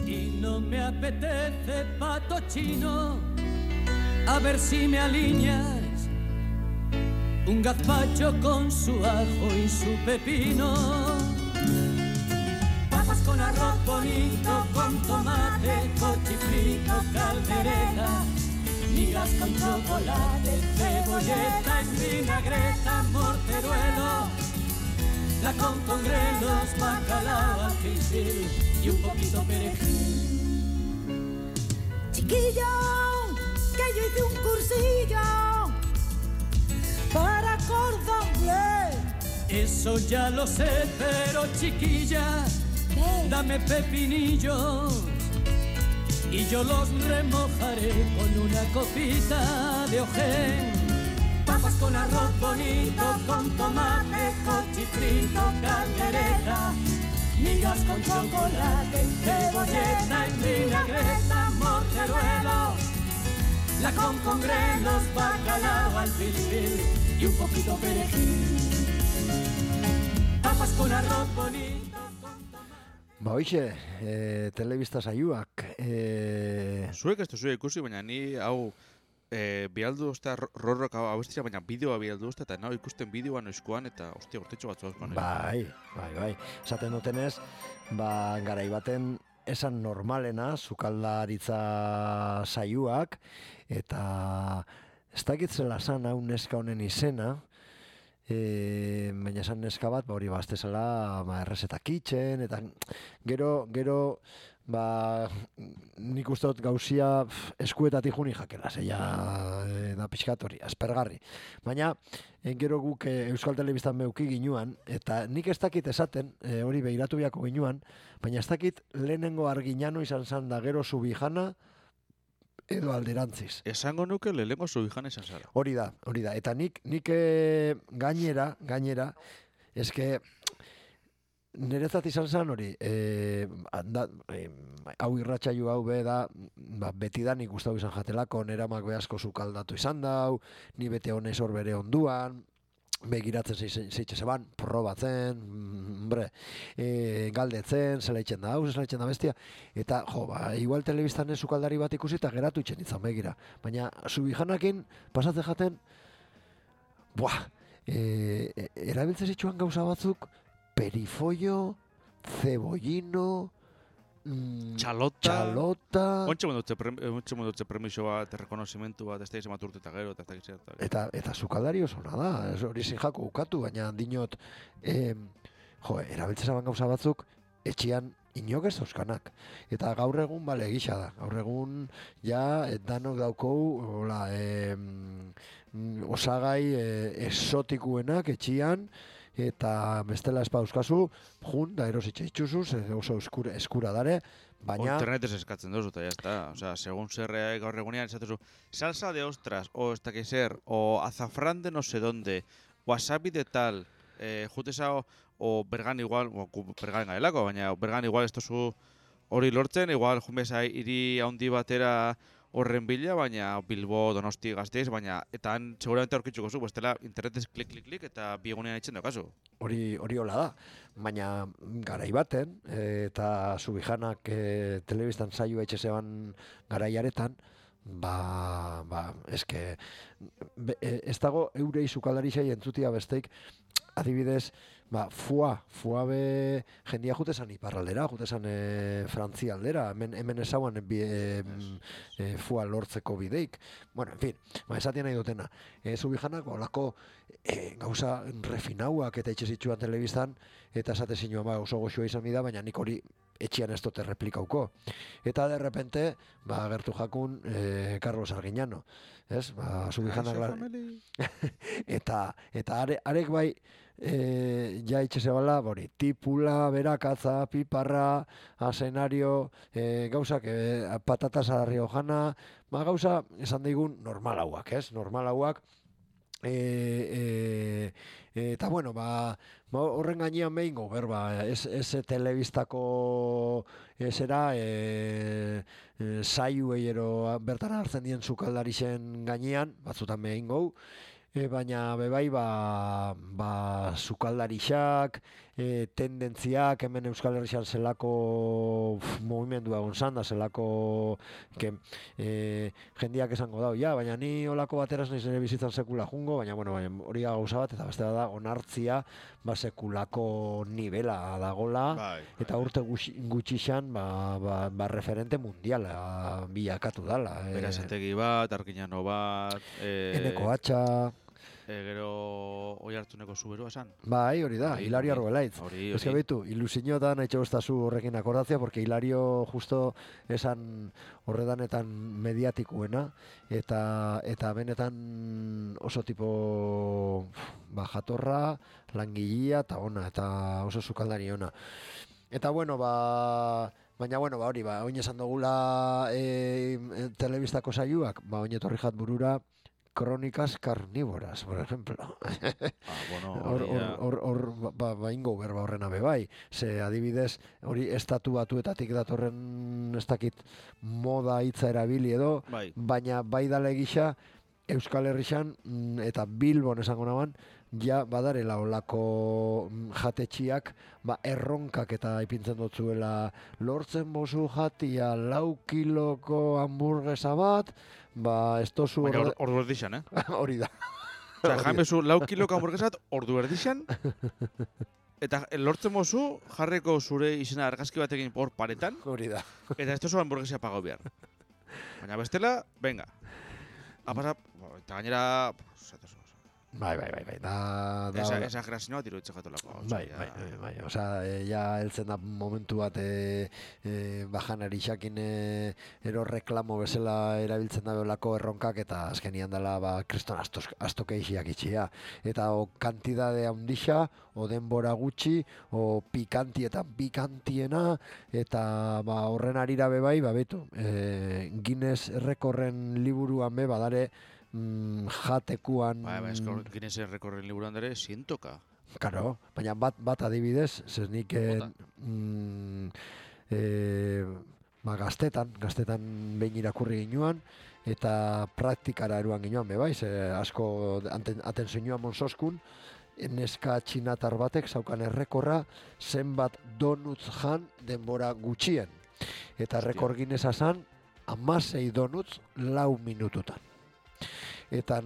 y no me apetece pato chino. A ver si me alineas un gazpacho con su ajo y su pepino. Papas con arroz bonito, con tomate, cochifrito, caldereta, migas con chocolate, cebolleta en vinagreta, morteruelo, la con grelos, bacalao, alfilfil y un poquito perejil. Chiquillo, que yo hice un cursillo para cordon bleu. Eso ya lo sé, pero chiquilla, ¿Qué? dame pepinillos y yo los remojaré con una copita de ojén. Papas con arroz bonito, con tomate, cochifrito, caldereta, migas con chocolate, cebolleta en vinagreta, morteruelo, la con grelos, bacalao, alfilfil y un poquito perejil. Papas con arroz bonito, con tomate. Hoxe, telebista saioak. Zuek ez duzu ikusi, baina ni hau bialdu uste rorrok abestia, baina bideoa bialdu uste, eta nahi ikusten bideoa noizkoan, eta ostia, urtetxo batzu azkoan. Bai. Esaten dutenez, garai baten esan normalena, sukaldaritza saioak, eta ez dakitzela zan hau neska honen izena, baina esan neska bat, hori bazte zela errezeta kitchen, eta gero nik uste dut gauzia eskuetatik juni jakela, zeia da pixkat hori, aspergarri. Baina, gero guk Euskal Telebistan beuki ginuan, eta nik ez dakit esaten, hori behiratu biako ginuan, baina ez dakit lehenengo arginano izan zan da gero Subijana, edo alderantziz. Esango nuke lehenengo Subijana izan zara. Hori da. Eta nik gainera, eske niretzat izan zen hori, hau irratsaio hau be da, beti da nik gustau izan jatelako, neramak behasko sukaldatu izan dau, ni bete honez hor bere onduan, begiratzen zeitxe zeban, probatzen, galdetzen, zela itxen da hau, zela itxen da bestia, eta igual telebistan sukaldari bat ikusi eta geratu itxen izan begira. Baina Subijanakin pasatzen jaten, erabiltzen zituen gauza batzuk, perifollo, cebollino, Txalota. Ontxe mondotze premiso bat, rekonozimentu bat, ez da izan urte eta gero, eta sukaldari oso nada, hori zin jako ukatu, baina dinot, erabiltzen zaban gauza batzuk, etxean inok ez dauzkanak. Eta gaur egun bale gisa da. Gaur egun ja danok daukou hola, osagai esotikuenak etxian, eta bestela espa euskazu, jun da erositxe itxuzuz, oso eskura dare, baina... Internetez eskatzen duzu, eta jazta. Osea, segun zerre gaur egunean esatezu, salsa de ostras, o ez dakiz zer, o azafrán de no sé dónde, wasabi de tal, jutesa o bergan igual, bergan gaelako, baina bergan igual ez tozu hori lortzen, igual junbeza hiri handi batera horren bila, baina Bilbo, Donosti, Gasteiz, baina eta han seguramente aurkitzuko zu, bestela internetez klik, eta biegunean itzen daukazu. Hori hola da, baina garai baten, eta Subijanak telebistan saioa etxe zeban garaiaretan, eske, ez dago eurei sukaldarizai entzutia besteik, adibidez, fua be jendia jutezan iparraldera, jutezan Frantzia aldera, hemen esauan fua lortzeko bideik. Bueno, en fin, esatien nahi dutena. Zubijanak, olako gauza refinauak eta itxe zitsuan telebistan, eta esate zinua oso goxua izan bida, baina nik hori etxian ez dute replikauko. Eta de repente, gertu jakun Carlos Arguiñano. Ez? Zubijanak eta arek bai, ja itxezebala, tipula, berakatza, piparra, asenario, gauzak, patatas a riojana, gauza, esan digun, normalauak, ez? Normalauak, eta bueno, horren gainean behingo, berba, ez telebistako esera, saiuei ero bertan hartzen dien sukaldarixen gainean, batzutan behingo, baina bebai sukaldarixak, tendentziak, hemen Euskal Herrian zelako movimendua gonzan da, zelako jendiak esango dau, baina ni olako bateraz nahiz nire bizitzan sekula jungo, baina hori gauza bat, eta beste da onartzia sekulako nivela dagola, eta urte gutxixan referente mundiala bilakatu dala. Berazategi bat, Arguiñano bat, Eneko Atxa, gero oi hartzuneko zuberua esan. Bai, hori da, Hilario Arbelaitz. Ez que behitu, ilusiotan etxe goztazu horrekin akordatzea, porque Hilario justo esan horredanetan mediatikuena, eta benetan oso tipo jatorra, langilia, eta ona, eta oso sukaldari ona. Eta bueno, baina hori, oin esan dugula telebistako saioak, oin etorri jat burura, Crónicas carnívoras, por ejemplo. Ingo berba horrena bebai. Ze adibidez, hori estatu batuetatik datorren ez dakit moda hitza erabili edo, baina bai dale gisa Euskal Herrian eta Bilbon esango naban, ja badarela olako jatetxiak erronkak eta ipintzen dutzuela lortzen bozu jatia 4 kiloko hamburguesa bat, ez tozu... Baina ordu erdixan, Hori da. Osea, jaimezu 4 kiloko hamburguesa bat ordu erdixan, eta lortzen bozu jarreko zure izena argazki batekin hor paretan, hori da. Eta ez tozu hamburguesa pagau behar. Baina bestela, venga. Apasa, eta gainera... Bai. Exagerazio bat iruditzen jatolako. Bai. Osea, ja heltzen da momentu bat bajanari xakin ero reklamo bezala erabiltzen da beolako erronkak eta azkenian dela kriston astokeixiak itxia. Eta o kantidade handixa, o denbora gutxi, o pikantietan pikantiena, eta horren arira bebai, betu, Guinness rekorren liburuan be badare jatekuan... Guinness rekorren liburuan dere, sientoka. Karo, baina bat adibidez, zeznik gaztetan behin irakurri ginuan, eta praktikara eruan ginuan bebai, asko atentzioa monsoskun, neska txinatar batek zaukan errekorra zenbat donuts jan denbora gutxien. Eta rekor Guinnessa zan, 16 donuts 4 minututan. Eta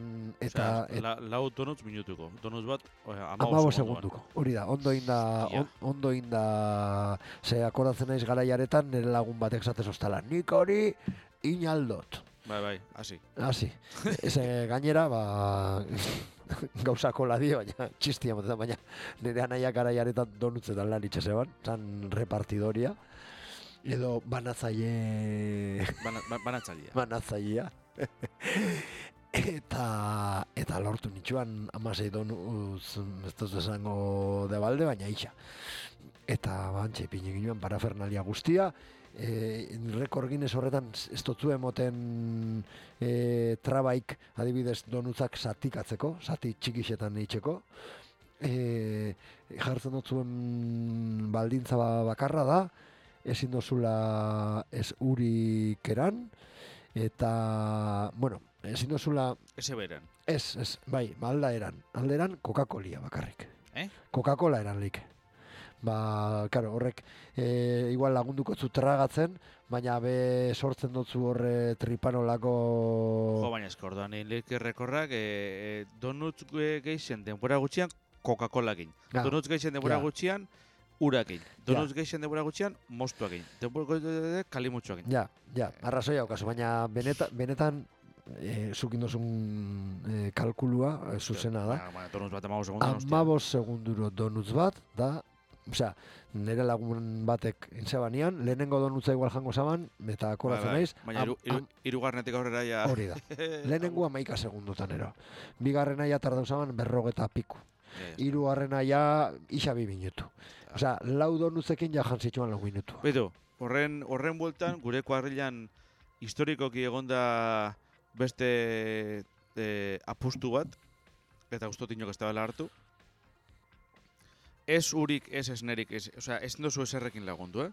lau donuts minutuko. Donuts bat 15 segunduko. Hori da, ondo inda ze akordatzen naiz garaiaretan nire lagun batek zatez ostala. Nik hori inaldot. Bai, hasi. Eze gainera, gauzako ladio, baina txistia motetan, baina nire anaiak garaiaretan donutzetan lan itxezeban, zan repartidoria. Edo banatzaile... Banatzailea. Banatzailea. Eta lortu nitxuan 16 donuz, ez dut esango de balde, baina isa. Eta bantxe ipine ginoen parafernalia guztia, rekord Guinness horretan ez dutzu emoten trabaik adibidez donutzak zatikatzeko, zati txikixetan eitzeko. Jartzen dutzuen baldintza bakarra da, ezin dozula ez urik eran, eta, bueno, ezin dozula... Ese beran. Ez, bai, alderan Coca-Colia bakarrik. Coca-Cola eran lik. Claro, horrek igual lagunduko zu tragatzen, baina be sortzen dutzu horre tripanolako... Jo, baina eskordoan egin lehik errekorrak donuts geixen denbora gutxian Coca-Cola-gin. Donuts geixen denbora gutxian urakin. Donuts geixen denbora gutxian mostuakin. Denbora kalimutsuakin. Ja, arrazoia okazu, baina benetan zukin dozun kalkulua zuzena da. Donuts bat 15 segundu. 15 segunduro donuts bat, da, osea, nire lagun batek intzebanean, lehenengo donutza igual jango zaban, eta akoratzen naiz. Baina irugarnetik aurrera ja... Hori da. Lehenengo 11 segundotan ero. Bigarrena ja tardau zaban 40 piku. Hirugarrena ja isa 2 minutu. Osea, 4 donutzekin ja jantzituan 4 minutu. Beto, horren bueltan, gure kuadrilan historikoki egonda beste apustu bat, eta ustot inok ez da hartu. Ez urik, ez esnerik, osea, ez dozu eserrekin lagundu,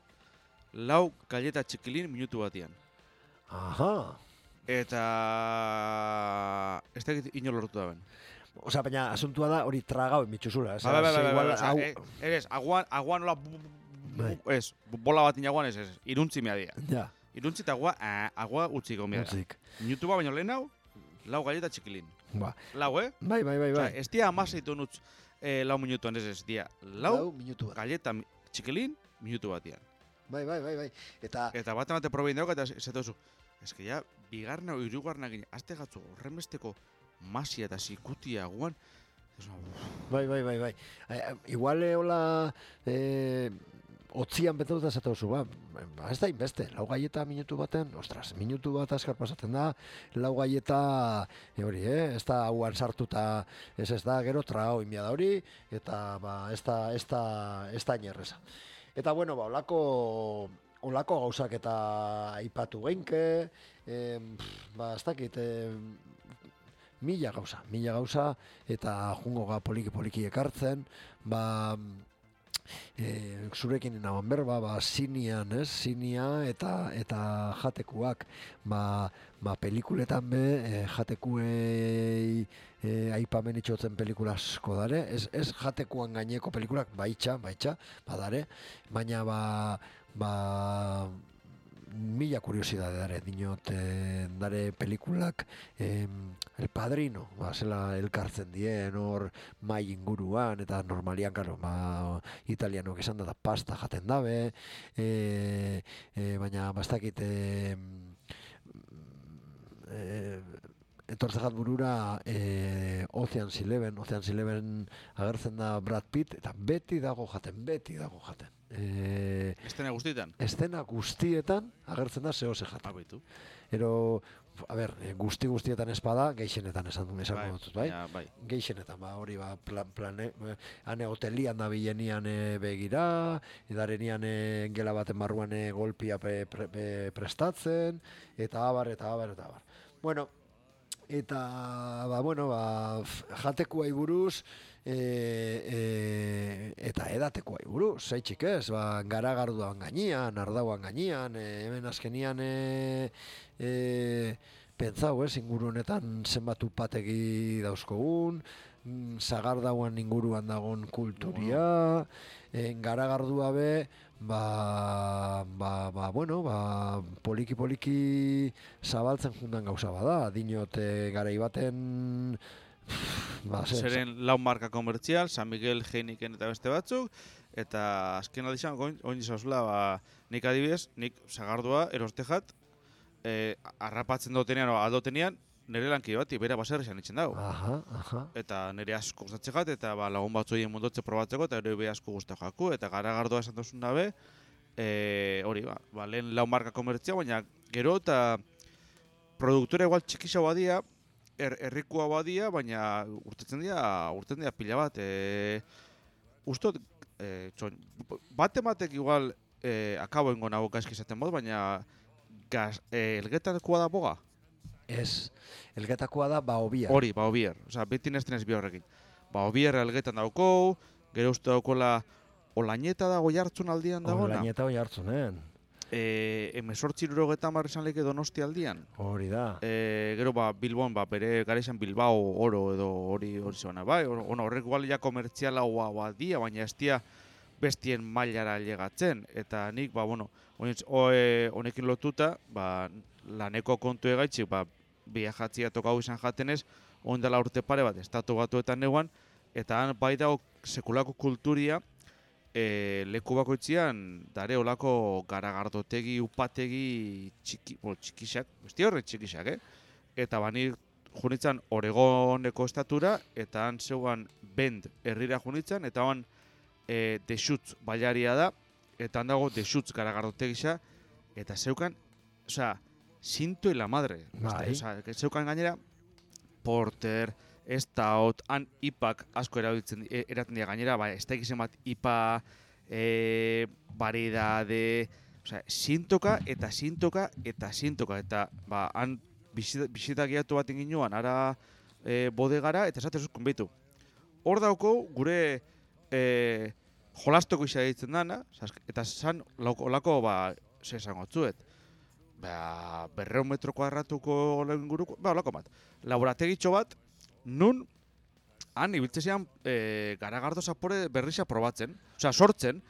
4 galleta txikilin minutu batian. Aha. Eta... ez da ino lortu da ben. Osea, baina asuntua da hori tragau emitxuzula. Eres, aguan nola... Ez, bola bat inaguan ez, iruntzi mea dia. Ja. Iruntzi eta agua utziko mea da. Minutu ba baino lehen hau, 4 galleta txikilin. Ba. 4, Bai. Osea, ez dia amaseitu nutz 4 minutuan ez dia. 4 galleta txikilin minutu batian. Bai. Eta bate probein dauk eta ez duzu. Ez que ja, bigarna o irugarna gine, azte gatzu horrenbesteko masia eta zikutia guan. Bai. Igual hola otzian betetuta esatu zu, ez da inbeste, 4 galleta minutu baten, ostras, minutu bat askar pasatzen da, 4 galleta, hori, ez da hauan sartuta, ez da, gero trao inbia da hori, eta ez da inerreza. Eta bueno, olako gauzak eta aipatu geinke, ez dakit, mila gauza, eta jungo ga poliki ekartzen, zurekin inaban berba, sinian, sinia eta jatekuak, pelikuletan be, jatekuei aipamen itxotzen pelikula asko dare, ez jatekuan gaineko pelikulak, baitxa, badare, baina mila kuriosidade dare, dinot, dare pelikulak, El Padrino, zela elkartzen dien, hor mai inguruan, eta normalian, karo, italianok esan da pasta jaten dabe, baina bastakit, etortzejat burura Ocean's Eleven agertzen da Brad Pitt, eta beti dago jaten. Estena guztietan? Estena guztietan agertzen da zehose jaten. Abitu. Ero, guztietan espada, geixenetan esango dut, bai? Ja, bai. Geixenetan, hori, hane hotelian da bilenian begira, edarenian gela baten barruan golpia prestatzen, eta abar. Bueno, eta, jatekuai buruz, eta edatekuai buruz, zeitxik ez, garagarduan gainean, ardauan gainean, hemen azkenian pentsau ez, inguru honetan zenbat upategi dauzkogun, zagardauan inguruan dagon kulturia, garagardua be, poliki zabaltzen jundan gauza bada, dinot garai baten zeren 4 marka komertzial, San Miguel, Heineken eta beste batzuk, eta azken aldizan, oin izazula, nik adibidez, nik zagardua erostejat, arrapatzen dotenean o aldotenean, nire lankide bat, bera baserri zan itzen dago. Eta nire asko gustatzegat, eta lagun batzu egin mundotze probatzeko, eta ere asko guztak jaku, eta garagardua esan duzun dabe, hori, lehen lau marka komertzia, baina gero eta produktora igual txikisa badia, herrikoa badia, baina urtetzen dira pila bat. Ustot, batek igual akabo ingo nago gaizki esaten mod, baina elgetakoa da boga? Ez, elgetakoa da baobiar. Hori, baobiar. Osa, beti nestenez bi horrekin. Baobiar elgetan dauko, gero uste daukola Olañeta dago jartzun aldian dagona. Olañeta hoi jartzunen. 1870 izan leke Donosti aldian. Hori da. Gero Bilbon, bere gara izan Bilbao oro edo hori zebana, bai? Horrek igual ja komertziala badia, baina ez dia bestien mailara llegatzen. Eta nik, honekin lotuta, laneko kontu egaitxik, viajatzia tokau izan jatenez, ondela urte pare bat, estatu batuetan neuan, eta han bai dago sekulako kulturia, leku bakoitzian dare olako garagardotegi, upategi txikisak, besti horre txikisak, Eta bani junitzen Oregoneko estatura, eta han zeugan Bend herrira junitzen, eta han Deschutz bailaria da, eta han dago Deschutz garagardotegisa, eta zeukan, sinto y la madre. Zeukan gainera, Porter, Stout, han ipak asko eraten dira gainera, ez da egizien bat ipa, variedade, sintoka, eta han bisita gehiatu bat inginuan, ara bodegara, eta esatez uzkun behitu. Hor dauko, gure jolastoko isa ditzen dana, eta zan olako, ze esango tzuet, 200 metro kuadratuko inguruko, olako bat, laborategitxo bat, nun han ibiltzean garagardo zapore berriza probatzen, sortzen,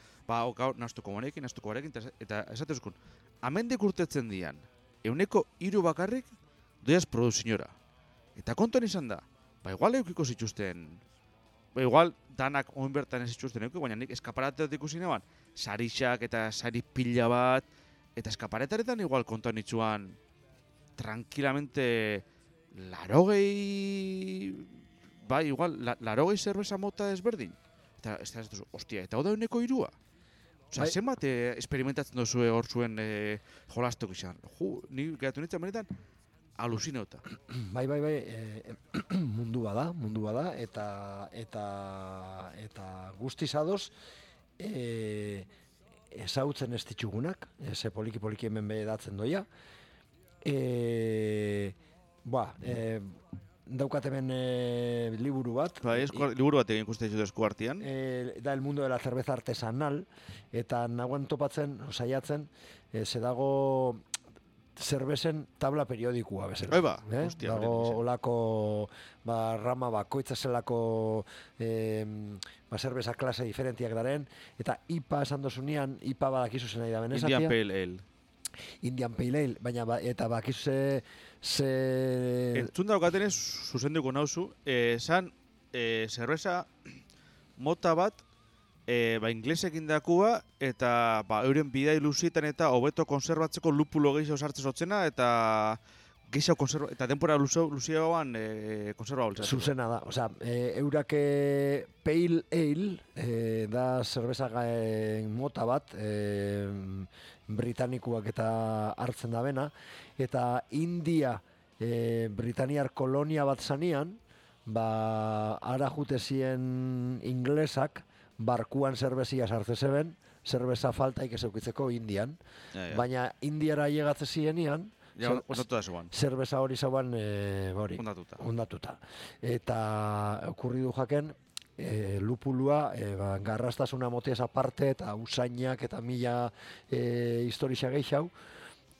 nastuko monekin, eta esatezkun, amendik urtetzen dian, 3% bakarrik doiaz produziñora. Eta kontuan izan da, igual eukiko zituzten, igual danak oin bertan ez zituzten eukiko, baina nik eskaparateat ikusi neban, sarixak eta sari pila bat, eta eskaparetaretan igual kontuan itxuan tranquilamente larogei zerbeza mota ezberdin. Eta ez da, ostia, eta hau da 3%? Zenbat experimentatzen duzue hor zuen jolastok izan. Ni geratu nintzen benetan alusinauta. Bai, mundu bada, eta guztiz adoz, ezautzen ez ditxugunak, ze poliki hemen behedatzen doia. Daukat hemen liburu bat. Liburu bat egin ikusten dut esku artean. Da El mundo de la cerveza artesanal, eta nagoen topatzen, saiatzen, ze dago zerbezen tabla periodikua bezala. Hostia. Dago olako rama bakoitza zelako zerbeza klase diferentiak daren, eta IPA esan dozunean, IPA badakizu zen nahi da benezatia. Indian Pale Ale, baina eta bakizu Entzun daukatenez, zuzenduko nauzu, esan zerbeza mota bat, inglesekin dakua, eta euren bidai luzietan eta hobeto konserbatzeko lupulo gehiago sartzen zotzena, eta gehiago konserba, eta denpora luziagoan konserba boltzatzen. Zuzena da, eurak Pale Ale, da zerbeza mota bat, britanikuak eta hartzen da bena, eta India Britaniar kolonia bat zanean, ara jute zien inglesak, barkuan zerbezia sartze zeben, zerbeza faltaik ez eukitzeko Indian, baina Indiara llegatze zienian, zerbeza hori zauan ondatuta. Eta okurri du jaken, lupulua, garrastasuna motiaz aparte, eta usainak eta mila historia gehiago,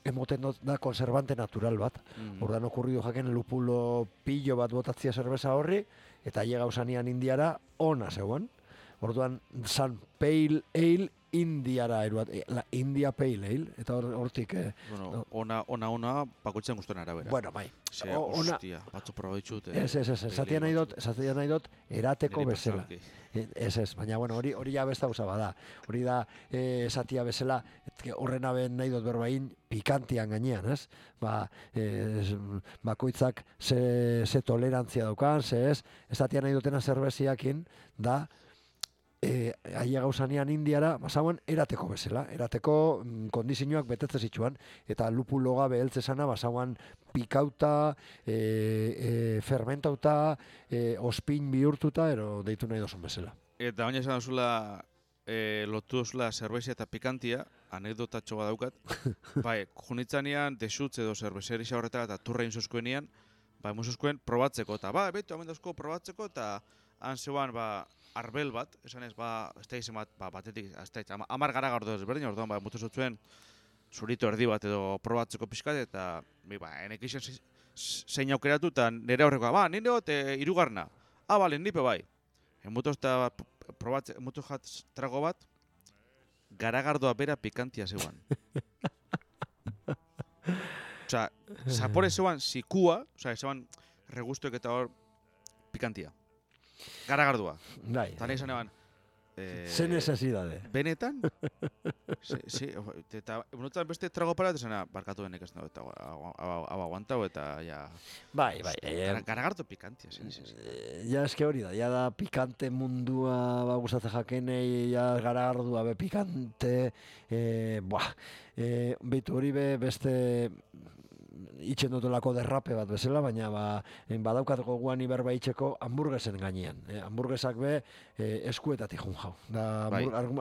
emoten da konservante natural bat. Ordan okurri du jaken lupulo pillo bat botatzia zerbeza horri, eta llega usanian Indiara ona zegoen. Orduan, San Pale Ale Indiara eruat, la India Pale Ale, eta hortik... Ona, bakoitzen guztuen arabera. Bueno, bai. Hostia, batzu proba ditut. Zatia nahi dut, erateko bezala. Baina, hori ja besta gauza bada. Hori da, zatia bezala, horren aben nahi dut berbain, pikantian gainean, ez? Bakoitzak ze tolerantzia daukan, ez? Zatia nahi dutena zerbeziakin, da, aia gauzanean Indiara, basauen, erateko bezala. Erateko kondizioak betetze zituan, eta lupulo gabe heltzezana, basauan pikauta, fermentauta, ospin bihurtuta, ero deitu nahi dozun bezala. Eta baina esan duzula, lotu duzula zerbezia eta pikantia, anekdotatxo bat daukat. Bai, junitzanean, desutz edo zerbezeri xaurretara eta turrein zuzkuenian, bai, muzuzkuen probatzeko, eta betu, hamen dauzko probatzeko, eta han zeuan, arbel bat, esan ez, ez da izan bat, batetik, ez da, 10 garagardo ezberdin, orduan, mutu zutzen zurito erdi bat edo probatzeko pixkat, eta, enek izan zein aukeratu, eta nire aurrekoa, nire hot, irugarna, bale, nipe bai. Mutu jat trago bat, garagardoa bera pikantia zeuan. Osa, zapore zeuan zikua, osa, zeuan regustuek eta hor pikantia. Garagardua. Bai. Eta nahi zan eban... Ze necesidade. Benetan? Eta minutan beste trago para, eta barkatu denek ez nago, eta aguantau eta ja... Bai. Garagardo pikantia, Ja, eske hori da, ja da pikante mundua guztatze jakenei, ja garagardua be pikante, beitu hori be beste itxen dutolako derrape bat bezala, baina badaukat goguan iberba itxeko hamburguesen gainean. Hamburguesak be eskuetatik jun jau.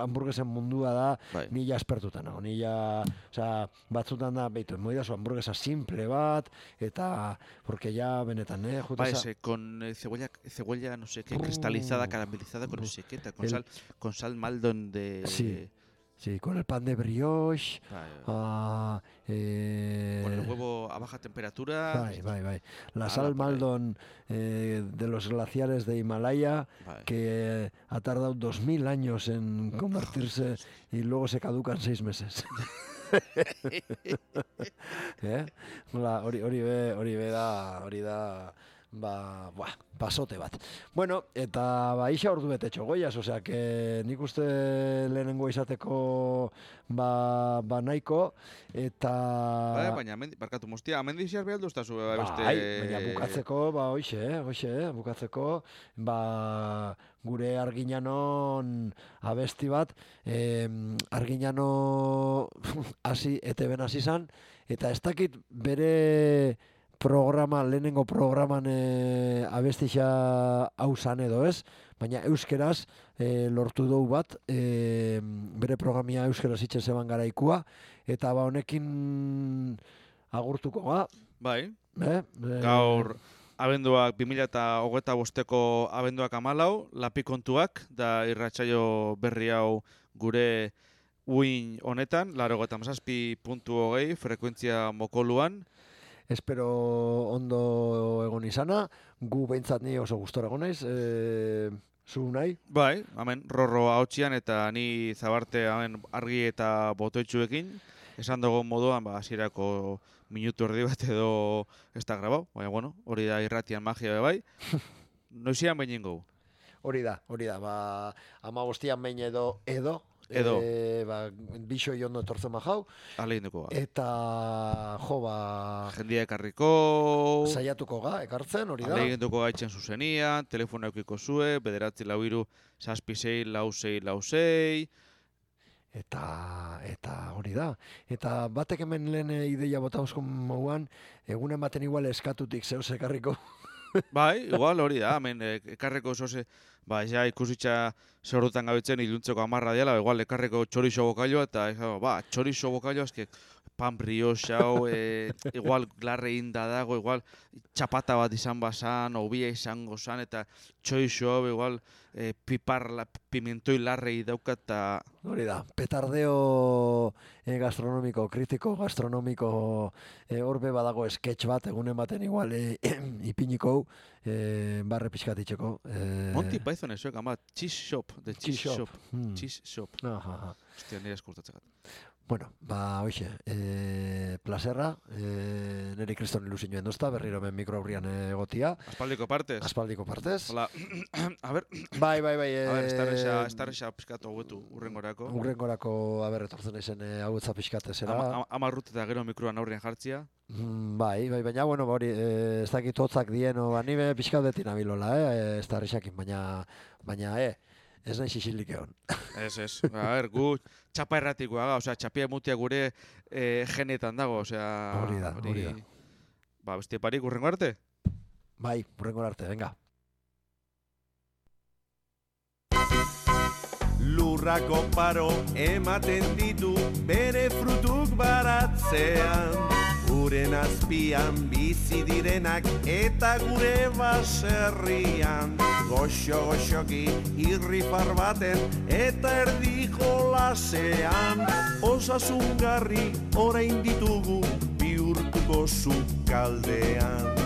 Hamburguesen mundua da nila espertutan nago. Batzutan da, beitu, moidazu hamburguesa simple bat, eta, porque ya benetan, con cebolla, no sé qué, cristalizada, caramelizada, con no sé qué, con sal Maldon de... Sí, con el pan de brioche, con el huevo a baja temperatura. Bai. La sal Maldon de los glaciares de Himalaya, que ha tardado 2000 años en convertirse y luego se caducan 6 meses. Hori da... pasote bat. Bueno, eta isa ordu betetxo goiaz, osea, que nik uste lehenengo izateko nahiko, eta... Baina, barkatu mostia, amendiziar behar duztazu beste... Baina bukatzeko, bukatzeko, gure Arginanon abesti bat, Arginano ETB-n hasi zan, eta ez dakit bere... lehenengo programan abestixa hau zan edo ez, baina euskeraz lortu dugu bat, bere programia euskeraz itxen zeban garaikua, eta honekin agurtuko ga. Bai, gaur abenduak 2025ko abenduak 14, lapikontuak, da irratsaio berri hau gure uin honetan, 87.20 frekuentzia mokoluan. Espero ondo egon izana, gu behintzat ni oso gustora egon naiz, zu nahi? Bai, hemen Rorro ahotxian eta ni Zabarte hemen argi eta botoitxuekin, esan dugu moduan, hasierako minutu erdi bat edo ez da grabau, baina bueno, hori da irratian magia bai, noizian behin ingo. Hori da, 15 behin edo, bixo ondo etortzen majau. Alegin eta, jendia ekarriko... Saiatuko ga, ekartzen, hori da. Alegin gaitzen zuzenian, telefono eukiko zue, 943-76-6666. Eta hori da. Eta batek hemen lehen ideia botauzko moguan, egunen baten igual eskatutik zehoz ekarriko. Bai, igual hori da, hemen ekarreko zoze, ja ikusitza zerrutan gabetzen iluntzeko 10 diala, igual ekarreko txorixo bokailua, eta txorixo bokailua, eske pan brioche hau, igual larre inda dago, igual txapata bat izan bazan, obia izango zan, eta txorixo hau, igual pimentoi larrei daukat, eta... Hori da, petardeo gastronomiko, kritiko gastronomiko, horbe badago sketch bat, egunen baten igual ipiniko, barre pixkatitzeko. Monty Python esoek, ama, cheese shop, the cheese shop. Cheese shop. Hostia, nire eskurtatzegat. Bueno, hoxe, plazerra, niri kriston ilusioen dozta, berriro hemen mikro aurrian egotia. Aspaldiko partez. Hola, a ver. Bai. A ver, estarrexa pixkatu hauetu, urrengorako. Urrengorako, etortzen ezen hauetza pixkatezera. 10 rut eta gero mikroan aurrian jartzia. Bai, baina, bueno, hori, ez dakit hotzak dien, nime pixkat beti nabilola, estarrexakin, baina, Ez nahi xixildik egon. Ez. A ber, gu txapa erratikoa ga, osea, txapia mutia gure genetan dago, osea... Hori da. Ba, beste parik urrengo arte? Bai, urrengo arte, venga. Lurrako paro ematen ditu bere frutuk baratzean. Uren azpian bizi direnak eta gure baserrian. Goxo-goxoki irrifar baten eta erdi jolasean. Osasungarri orain ditugu bihurtuko sukaldean.